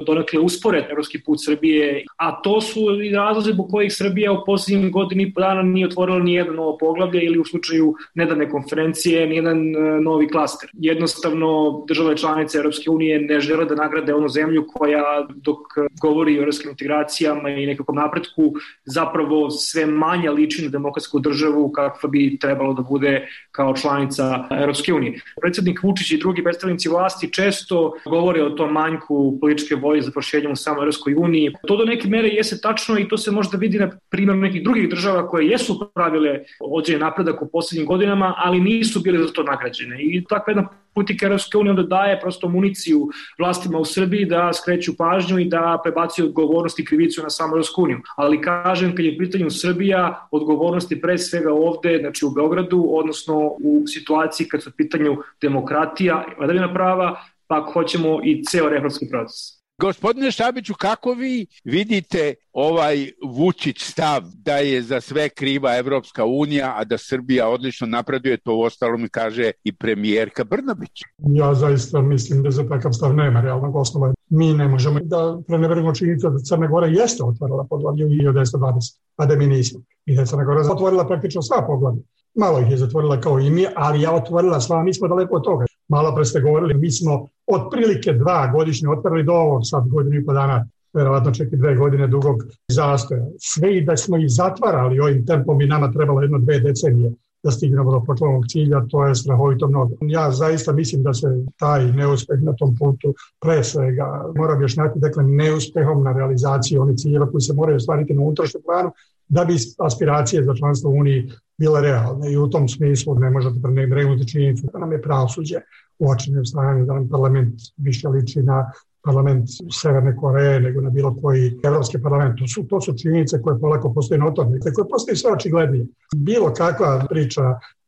donekle uspore evropski put Srbije, a to su i razlozi zbog kojih Srbija u posljednjih godini i po dana nije otvorila ni jedno novo poglavlje ili u slučaju nedavne konferencije ni jedan novi klaster. Jednostavno, države članice Europske unije ne žele da nagrade onu zemlju koja, dok govori o evropskim integracijama i nekakvom napretku, zapravo sve manje liči na demokratsku državu kakva bi trebalo da bude kao članica Europske unije. Predsjednik Vučić i drugi predstavnici vlasti često govore o tom manjku političke volje za proširenjem u samoj Europskoj uniji. To do neke mere jeste tačno i to se možda vidi na primjeru nekih drugih država koje jesu pravile određen napredak u posljednjim godinama, ali nisu bile za to nagrađene. I takva jedna politika Europske unije onda daje prosto municiju vlastima u Srbiji da skreću pažnju i da prebacuju odgovornost i krivicu na samu Europsku uniju. Ali kažem, kad je u pitanju Srbija, odgovornost je pre svega ovde, znači u Beogradu, odnosno u situaciji kad su u pitanju demokratija, vladavina prava, pa ako hoćemo i ceo reformski proces. Gospodine Šabiću, kako vi vidite ovaj Vučić stav da je za sve kriva Evropska unija, a da Srbija odlično napreduje, to u ostalom mi kaže i premijerka Brnabić? Ja zaista mislim da za takav stav nema realnog osnova. Mi ne možemo da preneverimo činjenicu da Crna Gora jeste otvorila poglavlje u hiljadu devetsto dvadeset, a da mi nismo. I da je Crna Gora otvorila praktično sva poglavlje. Malo ih je zatvorila kao i mi, ali ja otvorila sva, mi smo daleko od toga. Malo pre ste govorili, mi smo otprilike dva godišnje otvorili do ovog sad godinu i po dana, verovatno čak i dve godine dugog zastoja. Sve i da smo ih zatvarali ovim tempom i nama trebalo jedno dve decenije da stignemo do početnog cilja, to je strahovito mnogo. Ja zaista mislim da se taj neuspeh na tom putu pre svega mora objašnjati, dakle, neuspehom na realizaciji onih ciljeva koji se moraju ostvariti na unutrašnjem planu da bi aspiracije za članstvo u Uniji bile realne. I u tom smislu ne možete prenebregnuti činjenicu da nam je pravosuđe u očinjem stanju, da nam parlament više liči na parlament Severne Koreje nego na bilo koji evropski parlament. To su, to su činjenice koje polako postoje notorne, koje postoje sve očiglednije. Bilo kakva priča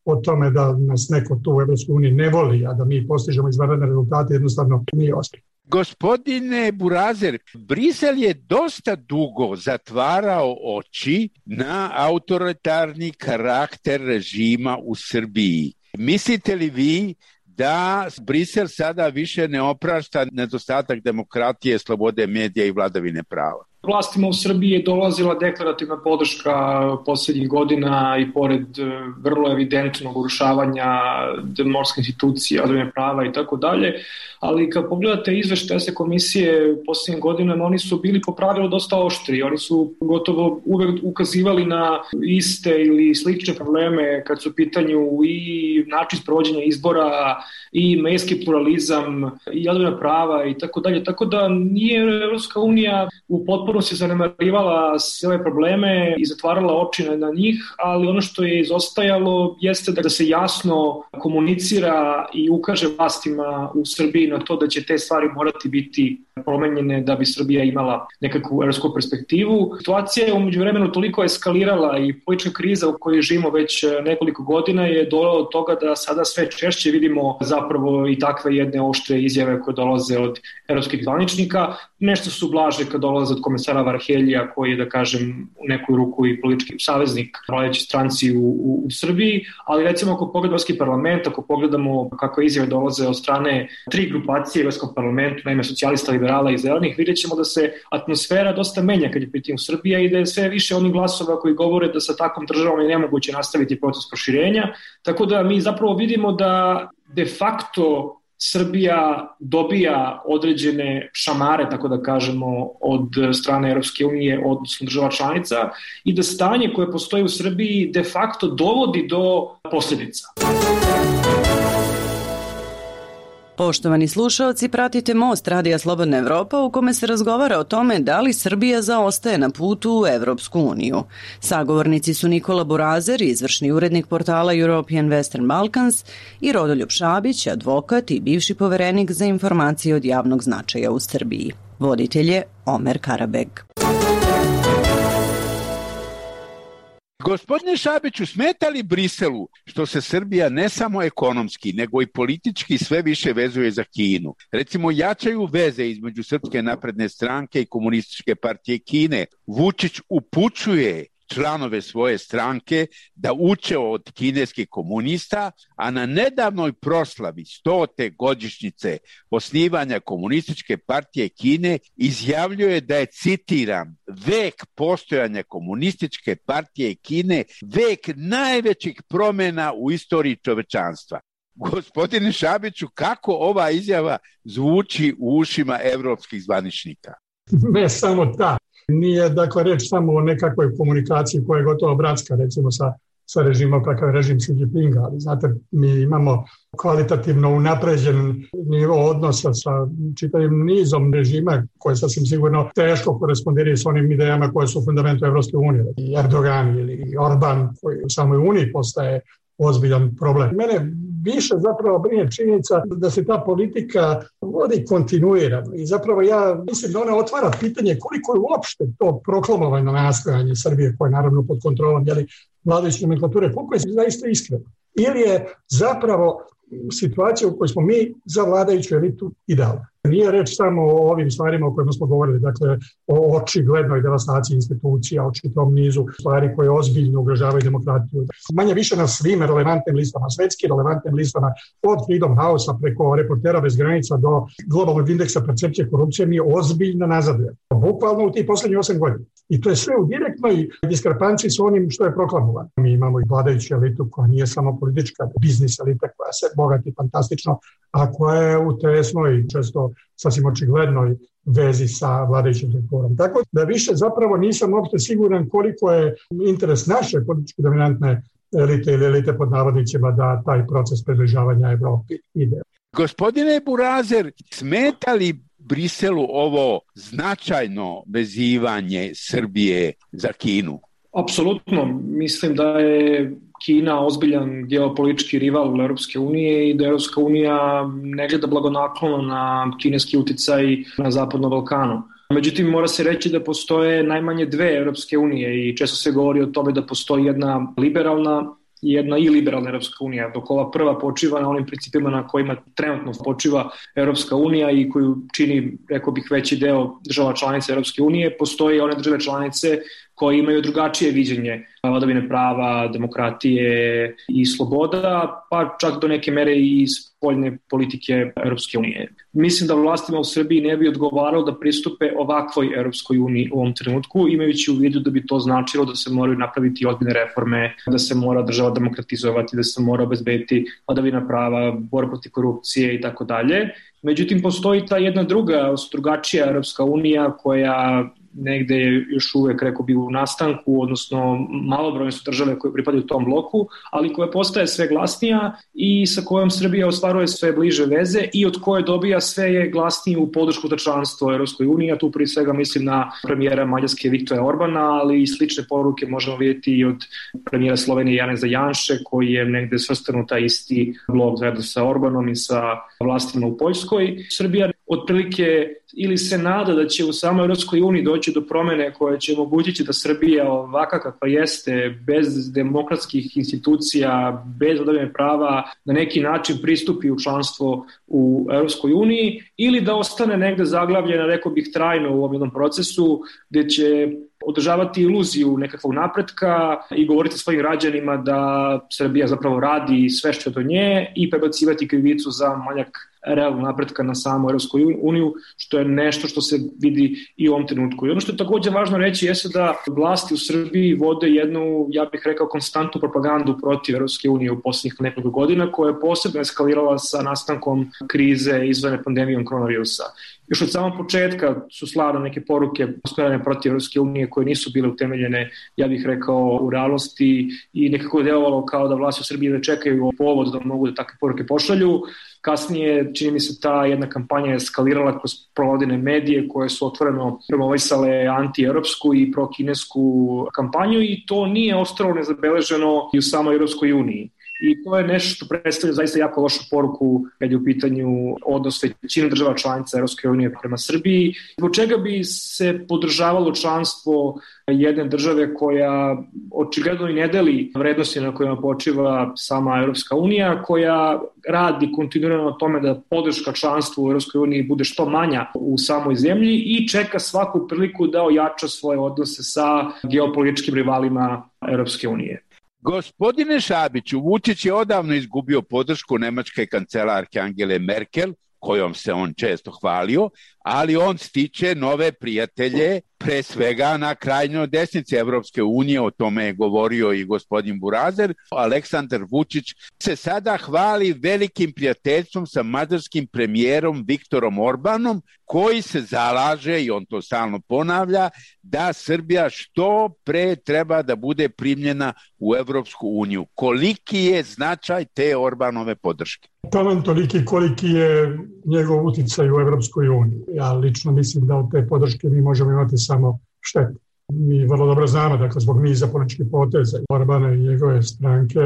o tome da nas neko tu u Evropskoj uniji ne voli, a da mi postižemo izvanredne rezultate, jednostavno nije ospjeh. Gospodine Burazer, Brisel je dosta dugo zatvarao oči na autoritarni karakter režima u Srbiji. Mislite li vi da Brisel sada više ne oprašta nedostatak demokratije, slobode medija i vladavine prava? Vlastima u Srbiji je dolazila deklarativna podrška posljednjih godina i pored vrlo evidentnog urušavanja demokratskih institucija, vladavine prava i tako dalje, ali kad pogledate izveštaje se komisije posljednjih godina, oni su bili po pravilu dosta oštri, oni su gotovo uvek ukazivali na iste ili slične probleme kad su u pitanju i način sprovođenja izbora i medijski pluralizam i vladavina prava i tako dalje, tako da nije Evropska unija u potpuno se zanemarivala sve ove probleme i zatvarala oči na, na njih, ali ono što je izostajalo jeste da se jasno komunicira i ukaže vlastima u Srbiji na to da će te stvari morati biti promenjene da bi Srbija imala nekakvu evropsku perspektivu. Situacija je umeđu vremenu toliko eskalirala i politička kriza u kojoj živimo već nekoliko godina je dovela do toga da sada sve češće vidimo zapravo i takve jedne oštre izjave koje dolaze od evropskih zvaničnika. Nešto su blaže kad dolaze od komesara Varheljija koji je, da kažem, u neku ruku i politički saveznik vladajuće stranci u, u, u Srbiji, ali recimo ako pogledamo Evropski parlament, ako pogledamo kako izjave dolaze od strane tri grupacije u Evropskom parlamentu, naime socijalista, liberala i zelenih, vidjet ćemo da se atmosfera dosta menja kad je pitanju Srbija i da je sve više onih glasova koji govore da sa takvom državom je nemoguće nastaviti proces proširenja, tako da mi zapravo vidimo da de facto Srbija dobija određene šamare, tako da kažemo, od strane Evropske unije, odnosno država članica, i da stanje koje postoji u Srbiji de facto dovodi do posljedica. Poštovani slušaoci, pratite Most Radija Slobodna Evropa u kome se razgovara o tome da li Srbija zaostaje na putu u Evropsku uniju. Sagovornici su Nikola Burazer, izvršni urednik portala European Western Balkans, i Rodoljub Šabić, advokat i bivši poverenik za informacije od javnog značaja u Srbiji. Voditelj je Omer Karabeg. Gospodine Šabiću, smeta li Briselu što se Srbija ne samo ekonomski, nego i politički sve više vezuje za Kinu? Recimo, jačaju veze između Srpske napredne stranke i Komunističke partije Kine. Vučić upućuje članove svoje stranke da uče od kineskih komunista, a na nedavnoj proslavi stote godišnjice osnivanja Komunističke partije Kine izjavljuje da je, citiram, vek postojanja Komunističke partije Kine vek najvećih promjena u istoriji čovečanstva. Gospodine Šabiću, kako ova izjava zvuči u ušima evropskih zvaničnika? Ne samo ta. Nije, dakle, reč samo o nekakvoj komunikaciji koja je gotovo bratska, recimo sa, sa režimom kakav je režim Xi Jinpinga, ali znate, mi imamo kvalitativno unapređen nivo odnosa sa čitavim nizom režima koje sasvim sigurno teško korespondiraju s onim idejama koje su u fundamentu Evropske unije. I Erdogan ili Orban koji u samoj Uniji postaje ozbiljan problem. Mene više zapravo brine činjenica da se ta politika vodi kontinuirano i zapravo ja mislim da ona otvara pitanje koliko je uopšte to proklamovano nastojanje Srbije koje je naravno pod kontrolom jeli, vladajuće nomenklature, koliko je zaista iskreno. Ili je zapravo situacija u kojoj smo mi za vladajuću elitu idealna. Nije reč samo o ovim stvarima o kojima smo govorili, dakle o očiglednoj devastaciji institucija, o čitavom nizu stvari koje ozbiljno ugrožavaju demokratiju. Manje više na svim relevantnim listama, svetski relevantnim listama, od Freedom House-a preko Reportera bez granica do globalnog indeksa percepcije korupcije, mi ozbiljno nazadujemo. Bukvalno u tih poslednjih osam godina. I to je sve u direktnoj diskrepanciji s onim što je proklamovano. Mi imamo i vladajuću elitu koja nije samo politička, biznis elita koja se bogati fantastično, a koja je u tesnoj, često sasvim očiglednoj vezi sa vladajućim strukturom. Tako da više zapravo nisam uopšte siguran koliko je interes naše politički dominantne elite ili elite pod navodnicima da taj proces približavanja Evropi ide. Gospodine Burazer, smeta li Briselu ovo značajno vezivanje Srbije za Kinu? Apsolutno. Mislim da je Kina ozbiljan geopolitički rival Europske unije i da Europska unija ne gleda blagonaklono na kineski uticaj na Zapadnom Balkanu. Međutim, mora se reći da postoje najmanje dve Europske unije i često se govori o tome da postoji jedna liberalna i jedna i liberalna Europska unija, dok ova prva počiva na onim principima na kojima trenutno počiva Europska unija i koju čini, rekao bih, veći deo država članica Europske unije, postoje one države članice koje imaju drugačije viđenje vladavine prava, demokratije i sloboda, pa čak do neke mere i spoljne politike Europske unije. Mislim da vlastima u Srbiji ne bi odgovaralo da pristupe ovakvoj Europskoj uniji u ovom trenutku, imajući u vidu da bi to značilo da se moraju napraviti ozbiljne reforme, da se mora država demokratizovati, da se mora obezbediti vladavina prava, borba protiv korupcije i tako dalje. Međutim, postoji ta jedna druga, drugačija Europska unija koja negde je još uvek, rekao bi, u nastanku, odnosno malobrojne su države koje pripadaju tom bloku, ali koja postaje sve glasnija i sa kojom Srbija ostvaruje sve bliže veze i od koje dobija sve je glasniju podršku za članstvo Europskoj uniji, a tu prije svega mislim na premijera Mađarske Viktora Orbana, ali i slične poruke možemo vidjeti i od premijera Slovenije Janeza Janše, koji je negde svrstan u taj isti blok zajedno sa Orbanom i sa vlastima u Poljskoj. Srbija otprilike ili se nada da će u samoj Europskoj uniji doći do promene koje će omogućiti da Srbija ovaka kakva jeste, bez demokratskih institucija, bez vladavine prava, na neki način pristupi u članstvo u Europskoj uniji, ili da ostane negde zaglavljena, rekao bih, trajno u ovom jednom procesu gde će održavati iluziju nekakvog napretka i govoriti svojim građanima da Srbija zapravo radi sve što je do nje i prebacivati krivicu za manjak realnog napretka na samu Europsku uniju, što je nešto što se vidi i u ovom trenutku. I ono što je također važno reći jeste da vlasti u Srbiji vode jednu, ja bih rekao, konstantnu propagandu protiv Europske unije u posljednjih nekoliko godina, koja je posebno eskalirala sa nastankom krize izvane pandemijom koronavirusa. Još od samog početka su slane neke poruke usmjerene protiv Europske unije koje nisu bile utemeljene, ja bih rekao, u realnosti i nekako je delovalo kao da vlasti u Srbiji ne čekaju povod da mogu da takve poruke pošalju. Kasnije, čini mi se, ta jedna kampanja eskalirala kroz provodine medije koje su otvoreno promovisale anti-europsku i prokinesku kampanju i to nije ostalo nezabeleženo i u samoj Europskoj uniji. I to je nešto što predstavlja zaista jako lošu poruku kad je u pitanju odnos većine država članica Europske unije prema Srbiji. Zbog čega bi se podržavalo članstvo jedne države koja očigledno i ne deli vrednosti na kojima počiva sama Europska unija, koja radi kontinuirano na tome da podrška članstvu u Europskoj uniji bude što manja u samoj zemlji i čeka svaku priliku da ojača svoje odnose sa geopolitičkim rivalima Europske unije. Gospodine Šabiću, Vučić je odavno izgubio podršku nemačke kancelarke Angele Merkel, kojom se on često hvalio, ali on stiče nove prijatelje, pre svega na krajnjoj desnici Evropske unije, o tome je govorio i gospodin Burazer. Aleksandar Vučić se sada hvali velikim prijateljstvom sa mađarskim premijerom Viktorom Orbanom, koji se zalaže, i on to stalno ponavlja, da Srbija što pre treba da bude primljena u Evropsku uniju. Koliki je značaj te Orbanove podrške? Taman toliki koliki je njegov uticaj u Evropskoj uniji. Ja lično mislim da od te podrške mi možemo imati samo štetu. Mi vrlo dobro znamo, dakle, zbog niza političkih poteza Orbana i njegove stranke,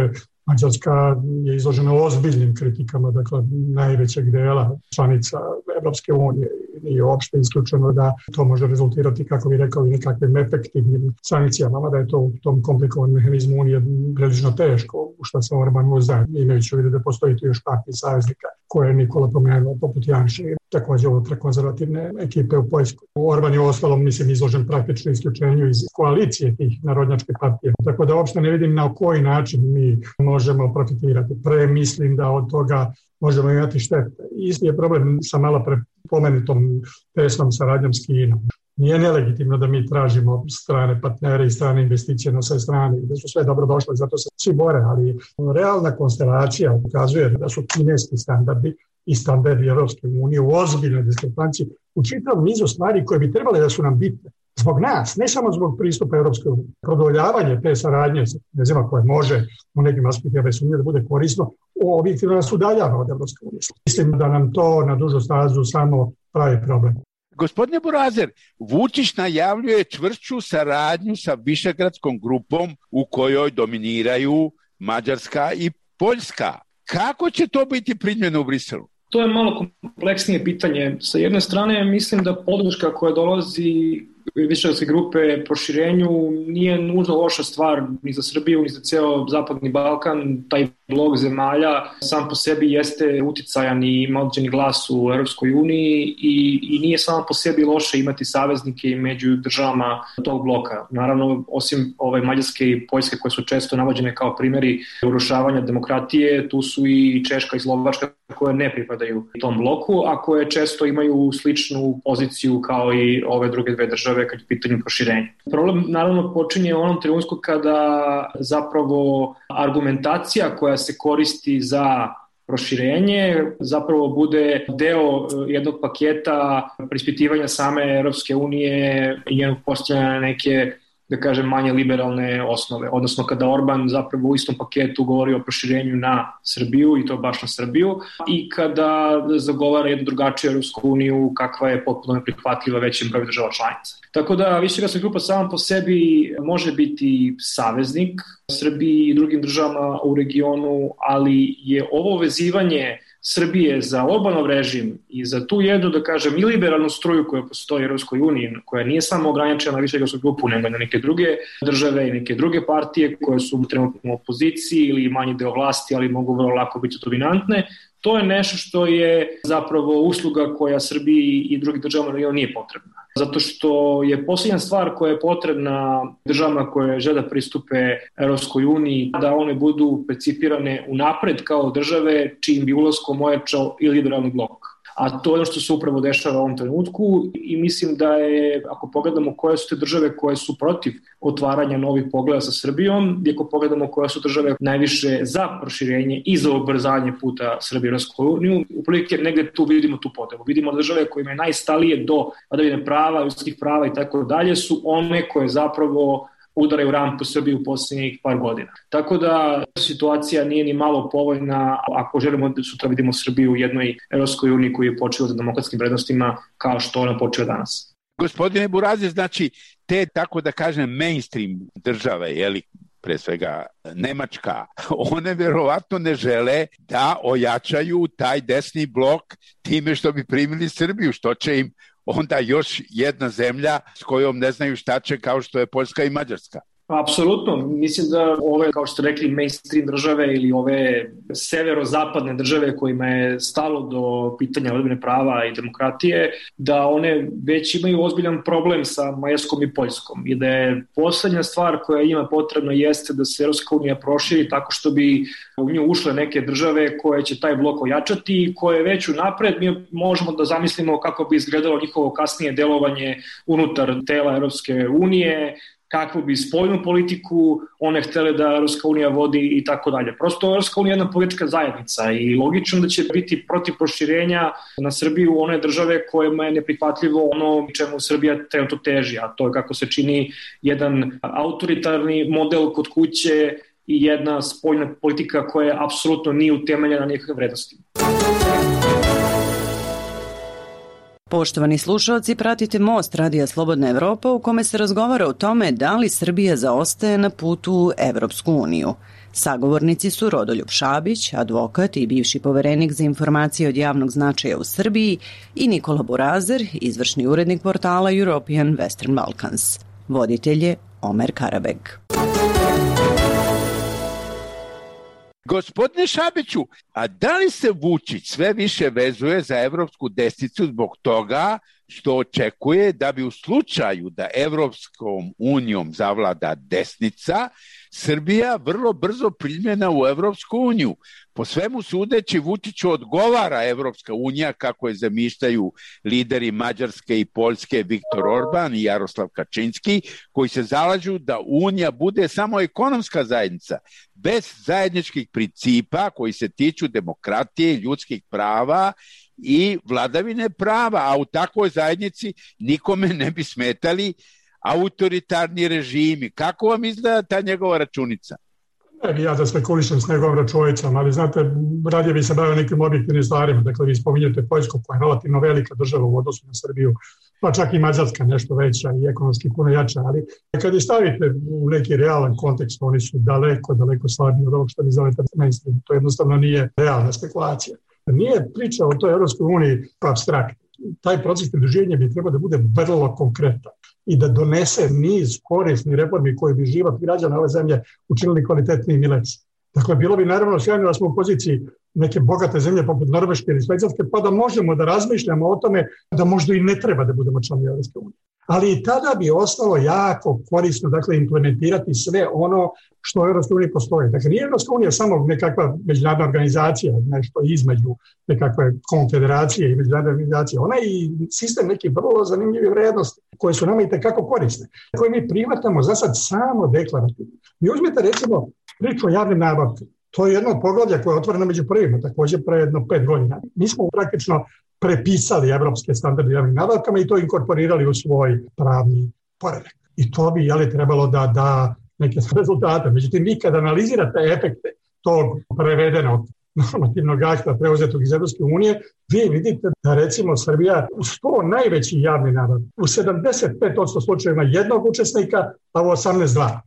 Mađarska je izložena ozbiljnim kritikama, dakle, najvećeg dela članica Evropske unije. Nije uopšte isključeno da to može rezultirati, kako bi rekao, i nekakvim efektivnim sankcijama, da je to u tom komplikovanom mehanizmu unije prilično teško, u što se Orban uzdaje, imajući u vidu da postoji tu još partij saveznika koje je Nikola pomenuo, poput Janša i također ultrakonzervativne ekipe u Poljskoj. Orban je u ostalom, mislim, izložen praktično isključenju iz koalicije tih narodnjačkih partija. Tako da uopšte ne vidim na koji način mi možemo profitirati. Pre mislim da od toga možemo imati štete. Isti je problem sa malo pre pomenutom tesnom saradnjom s Kinom. Nije nelegitimno da mi tražimo strane partnere i strane investicije na sve strane, da su sve dobro došle, zato se svi bore, ali realna konstelacija ukazuje da su kineski standardi i standardi Evropske unije u ozbiljnoj diskrepanciji u čitavom nizu stvari koje bi trebale da su nam bitne. Zbog nas, ne samo zbog pristupa Evropske unije. Produljavanje te saradnje sa Kinezima koje može u nekim aspektima bez sumnje da bude korisno, objektivno nas udaljava od Evropske unije. Mislim da nam to na dužu stazu samo pravi problem. Gospodine Burazer, Vučić najavljuje čvršću saradnju sa Višegradskom grupom u kojoj dominiraju Mađarska i Poljska. Kako će to biti primljeno u Briselu? To je malo kompleksnije pitanje. Sa jedne strane, mislim da podrška koja dolazi Višegradske grupe proširenju nije nužno loša stvar ni za Srbiju, ni za ceo Zapadni Balkan. Taj blok zemalja sam po sebi jeste uticajan i ima određeni glas u Europskoj uniji i, i nije samo po sebi loše imati saveznike među državama tog bloka. Naravno, osim ove Mađarske i Poljske koje su često navođene kao primjeri urušavanja demokratije, tu su i Češka i Slovačka koje ne pripadaju tom bloku, a koje često imaju sličnu poziciju kao i ove druge dve države kad je pitanje proširenja. Problem naravno počinje u onom trenutku kada zapravo argumentacija koja se koristi za proširenje zapravo bude deo jednog paketa preispitivanja same Europske unije i njenog postavljanja neke, da kažem, manje liberalne osnove. Odnosno kada Orban zapravo u istom paketu govori o proširenju na Srbiju i to baš na Srbiju i kada zagovara jednu drugačiju Europsku uniju kakva je potpuno neprihvatljiva većem broju država članica. Tako da Višegradska grupa sama po sebi može biti saveznik Srbiji i drugim državama u regionu, ali je ovo vezivanje Srbije za Orbanov režim i za tu jednu, da kažem, i liberalnu struju koja postoji u Europskoj uniji, koja nije samo ograničena na Višegradsku grupu, nego na neke druge države i neke druge partije koje su trenutno u opoziciji ili manji deo vlasti, ali mogu vrlo lako biti dominantne, to je nešto što je zapravo usluga koja Srbiji i drugim državama nije potrebna. Zato što je posljednja stvar koja je potrebna državama koje žele da pristupe Europskoj uniji, da one budu percipirane unapred kao države čijim bi ulaskom ojačao i liberalni blok. A to je ono što se upravo dešava u ovom trenutku i mislim da je, ako pogledamo koje su te države koje su protiv otvaranja novih pogleda sa Srbijom, i ako pogledamo koje su države najviše za proširenje i za ubrzanje puta Srbije u Europsku uniju, upravo negde tu vidimo tu potrebu. Vidimo države kojima je najstalije do vladavine prava, ljudskih prava i tako dalje su one koje zapravo udaraju rampu Srbiju u posljednjih par godina. Tako da situacija nije ni malo povoljna ako želimo da sutra vidimo Srbiju u jednoj Europskoj uniji koji je počela za demokratskim vrednostima kao što ona počela danas. Gospodine Burazer, znači te, tako da kažem, mainstream države, jeli, pre svega Nemačka, one verovatno ne žele da ojačaju taj desni blok time što bi primili Srbiju, što će im onda još jedna zemlja s kojom ne znaju šta će, kao što je Poljska i Mađarska. Apsolutno, mislim da ove, kao što ste rekli, mainstream države ili ove severozapadne države kojima je stalo do pitanja vladavine prava i demokratije, da one već imaju ozbiljan problem sa Mađarskom i Poljskom i da je poslednja stvar koja ima potrebno jeste da se Evropska unija proširi tako što bi u nju ušle neke države koje će taj blok ojačati i koje već unapred mi možemo da zamislimo kako bi izgledalo njihovo kasnije delovanje unutar tela Evropske unije, kakvu bi spoljnu politiku one htele da Evropska unija vodi i tako dalje. Prosto Evropska unija je jedna politička zajednica i logično da će biti protiv proširenja na Srbiju one države kojima je neprihvatljivo ono čemu Srbija trenutno teži, a to je kako se čini jedan autoritarni model kod kuće i jedna spoljna politika koja apsolutno nije utemeljena na nikakve vrednosti. Poštovani slušalci, pratite Most Radija Slobodna Evropa u kome se razgovara o tome da li Srbija zaostaje na putu u Evropsku uniju. Sagovornici su Rodoljub Šabić, advokat i bivši poverenik za informacije od javnog značaja u Srbiji, i Nikola Burazer, izvršni urednik portala European Western Balkans. Voditelj je Omer Karabeg. Gospodine Šabiću, a da li se Vučić sve više vezuje za evropsku desnicu zbog toga što očekuje da bi u slučaju da Evropskom unijom zavlada desnica, Srbija vrlo brzo primljena u Evropsku uniju? Po svemu sudeći, Vučiću odgovara Evropska unija kako je zamišljaju lideri Mađarske i Poljske Viktor Orban i Jaroslav Kačinski, koji se zalažu da unija bude samo ekonomska zajednica, bez zajedničkih principa koji se tiču demokratije, ljudskih prava i vladavine prava, a u takvoj zajednici nikome ne bi smetali autoritarni režimi. Kako vam izgleda ta njegova računica? Ne bi ja da spekulišem s njegovom računicom, ali znate, radije bi se bavio nekim objektivnim stvarima. Dakle, vi spominjete Poljsku koja je relativno velika država u odnosu na Srbiju, pa čak i Mađarska nešto veća i ekonomski puno jača, ali kad je stavite u neki realan kontekst, oni su daleko, daleko slabiji od ovog što vi zovete mainstream. To jednostavno nije realna spekulacija. Nije priča o toj Evropskoj uniji apstrakt. Taj proces pridruživanja bi trebao da bude vrlo konkretan i da donese niz korisnih reformi koje bi život građana ove zemlje učinili kvalitetnijim i lepšim. Dakle, bilo bi naravno sjajno da smo u poziciji neke bogate zemlje poput Norveške ili Švajcarske, pa da možemo da razmišljamo o tome da možda i ne treba da budemo članovi Evropske unije. Ali i tada bi ostalo jako korisno, dakle, implementirati sve ono što u Evropskoj uniji postoji. Dakle, nije Evropska unija samo nekakva međunarodna organizacija, nešto između nekakve konfederacije i međunarodne organizacije. Ona je i sistem nekih vrlo zanimljivih vrednosti koje su nama i tekako korisne, koje mi prihvatamo za sad samo deklarativno. Vi uzmete recimo priču o javnim nabavkama. To je jedno od poglavlja koje je otvoreno među prvima, također pre jedno pet godina. Mi smo praktično prepisali evropske standarde javnim nabavkama i to inkorporirali u svoj pravni poredak. I to bi jeli, trebalo da da neke rezultate. Međutim, vi kad analizirate efekte tog prevedenog normativnog akta preuzetog iz Evropske unije, vi vidite da recimo Srbija u sto najveći javni nabavki, u sedamdeset pet posto slučajeva jednog učesnika, a u osamnaest dva.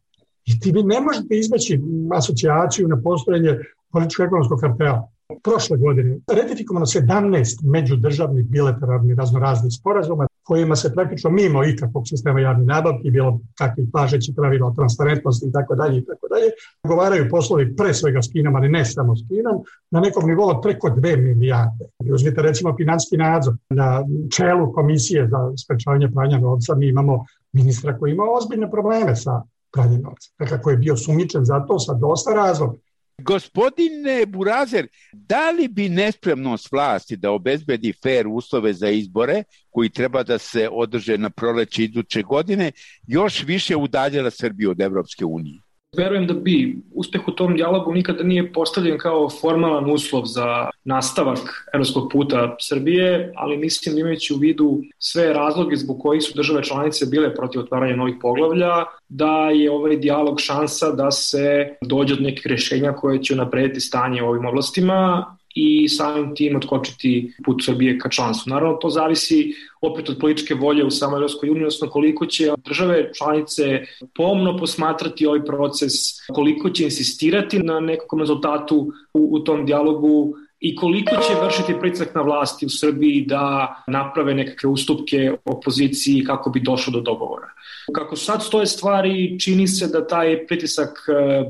I ti vi ne možete izbeći asocijaciju na postojanje političko-ekonomskog kartela. Prošle godine ratifikovano sedamnaest međudržavnih bilateralnih raznoraznih sporazuma kojima se praktično mimo ikakvog sistema javnih nabavki, bilo kakvih važećih pravila o transparentnosti i tako dalje i tako dalje, govaraju poslovi pre svega s Kinom, ali ne samo s Kinom, na nekom nivou od preko dve milijarde. Uzmite recimo financijski nadzor. Na čelu komisije za sprečavanje pranja novca mi imamo ministra koji ima ozbiljne probleme sa pranjem novca, kako je bio sumnjičen za to sa dosta razloga. Gospodine Burazer, da li bi nespremnost vlasti da obezbedi fer uslove za izbore, koji treba da se održe na proleće iduće godine, još više udaljila Srbiju od Evropske unije? Verujem da bi uspeh u tom dijalogu nikada nije postavljen kao formalan uslov za nastavak evropskog puta Srbije, ali mislim imajući u vidu sve razloge zbog kojih su države članice bile protiv otvaranja novih poglavlja, da je ovaj dijalog šansa da se dođe do nekih rješenja koje će unaprediti stanje u ovim oblastima i samim tim otkočiti put Srbije ka članstvu. Naravno, to zavisi opet od političke volje u samoj Evropskoj uniji, odnosno koliko će države članice pomno posmatrati ovaj proces, koliko će insistirati na nekakvom rezultatu u, u tom dijalogu i koliko će vršiti pritisak na vlasti u Srbiji da naprave nekakve ustupke opoziciji kako bi došlo do dogovora. Kako sad stoje stvari, čini se da taj pritisak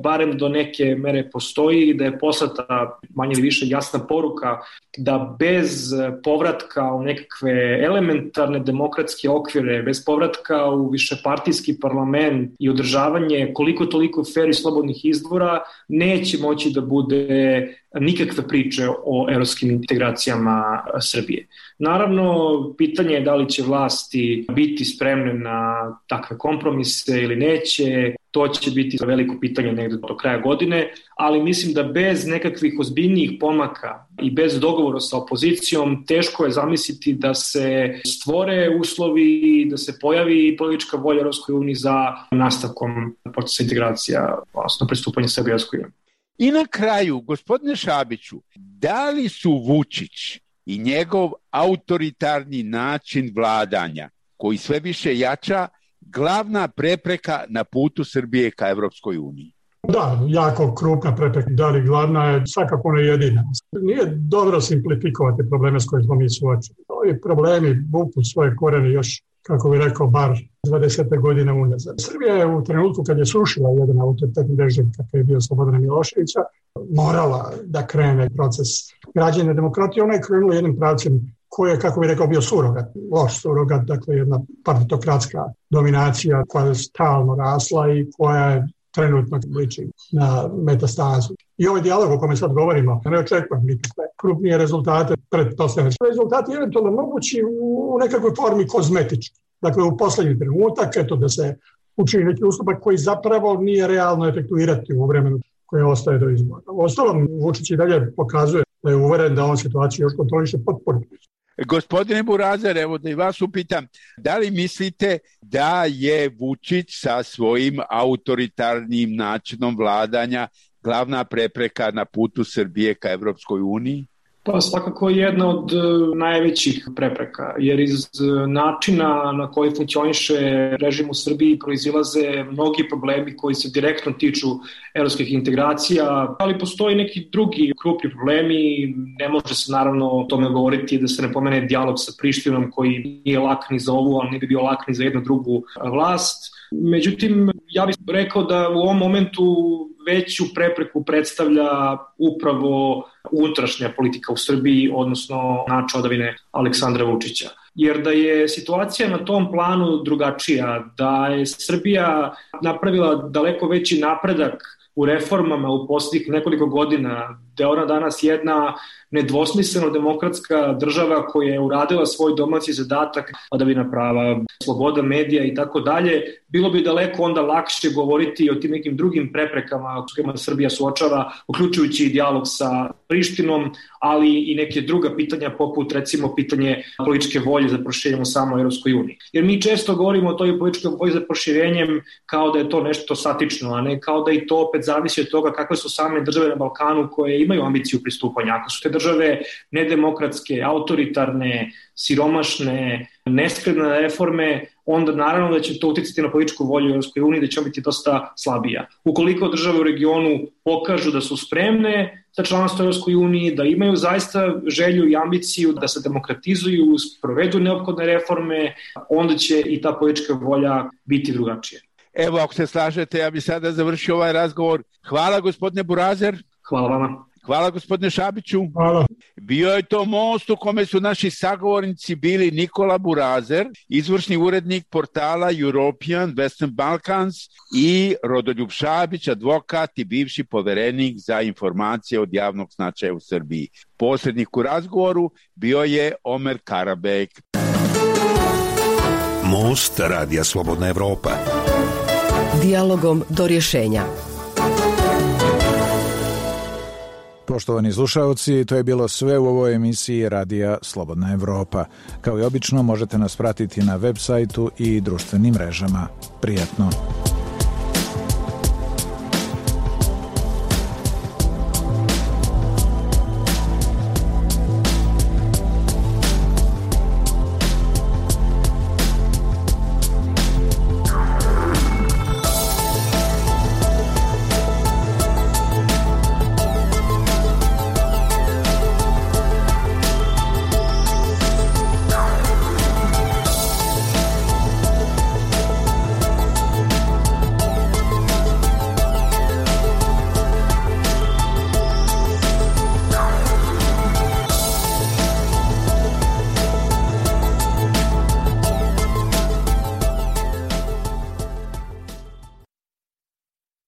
barem do neke mere postoji i da je poslata manje ili više jasna poruka da bez povratka u nekakve elementarne demokratske okvire, bez povratka u višepartijski parlament i održavanje koliko toliko fer i slobodnih izbora, neće moći da bude nikakve priče o evropskim integracijama Srbije. Naravno, pitanje je da li će vlasti biti spremne na takve kompromise ili neće. To će biti veliko pitanje negde do kraja godine, ali mislim da bez nekakvih ozbiljnijih pomaka i bez dogovora sa opozicijom teško je zamisliti da se stvore uslovi, da se pojavi politička volja Evropskoj uniji za nastavkom procesa integracija, odnosno pristupanje Srbije Evropskoj uniji. I na kraju, gospodine Šabiću, da li su Vučić i njegov autoritarni način vladanja, koji sve više jača, glavna prepreka na putu Srbije ka Evropskoj uniji? Da, jako krupna prepreka, da li glavna je, svakako ne jedina. Nije dobro simplifikovati probleme s kojima smo mi suočeni. Ovi problemi vuku svoje korene još, kako bi rekao, bar dvadeset godina unazad. Srbija je u trenutku kad je srušila jedan autoritetni režim kakav je bio Slobodana Miloševića, morala da krene proces građenja demokratije. Ona je krenula jednim pravcem koji je, kako bi rekao, bio surogat, loš surogat, dakle jedna partitokratska dominacija koja je stalno rasla i koja je trenutno liči na metastazu. I ovaj dijalog o kome sad govorimo, ne očekujem nikakve krupnije rezultate pretpostavljene. Rezultati je eventualno mogući u nekakvoj formi kozmetički. Dakle, u poslednji trenutak, eto da se učini neki ustupak koji zapravo nije realno efektuirati u vremenu koje ostaje do izbora. Ostalom, Vučić i dalje pokazuje da je uveren da on situaciju još kontroliše potpuno. Gospodine Burazer, evo da i vas upitam, da li mislite da je Vučić sa svojim autoritarnim načinom vladanja glavna prepreka na putu Srbije ka Evropskoj uniji? Pa svakako je jedna od najvećih prepreka, jer iz načina na koji funkcioniše režim u Srbiji proizilaze mnogi problemi koji se direktno tiču evropskih integracija, ali postoji neki drugi krupni problemi. Ne može se naravno o tome govoriti da se ne pomene dijalog sa Prištinom koji nije lak ni za ovu, ali ne bi bio lak ni za jednu drugu vlast. Međutim, ja bih rekao da u ovom momentu veću prepreku predstavlja upravo unutrašnja politika u Srbiji, odnosno način vladavine Aleksandra Vučića. Jer da je situacija na tom planu drugačija, da je Srbija napravila daleko veći napredak u reformama u posljednjih nekoliko godina, da je ona danas jedna nedvosmisleno demokratska država koja je uradila svoj domaći zadatak, vladavina prava, sloboda medija i tako dalje, bilo bi daleko onda lakše govoriti o tim nekim drugim preprekama s kojima Srbija suočava, uključujući i dijalog sa Prištinom, ali i neke druga pitanja poput recimo pitanje političke volje za proširenjem u samoj Evropskoj uniji. Jer mi često govorimo o toj političkoj volji za proširenjem kao da je to nešto statično, a ne kao da i to opet zavisi od toga kakve su same države na Balkanu koje imaju ambiciju pristupanja. Ako su te države nedemokratske, autoritarne, siromašne, neskrene reforme, onda naravno da će to uticati na političku volju u Evropskoj uniji, da će biti dosta slabija. Ukoliko države u regionu pokažu da su spremne za članstvo u Evropskoj uniji, da imaju zaista želju i ambiciju da se demokratizuju, provedu neophodne reforme, onda će i ta politička volja biti drugačija. Evo, ako se slažete, ja bih sada završio ovaj razgovor. Hvala, gospodine Burazer. Hvala vama. Hvala, gospodine Šabiću. Hvala. Bio je to most u kome su naši sagovornici bili Nikola Burazer, izvršni urednik portala European Western Balkans, i Rodoljub Šabić, advokat i bivši poverenik za informacije od javnog značaja u Srbiji. Posrednik u razgovoru bio je Omer Karabek. Most Radija Slobodna Evropa. Dijalogom do rješenja. Poštovani slušaoci, to je bilo sve u ovoj emisiji Radija Slobodna Evropa. Kao i obično, možete nas pratiti na web sajtu i društvenim mrežama. Prijatno!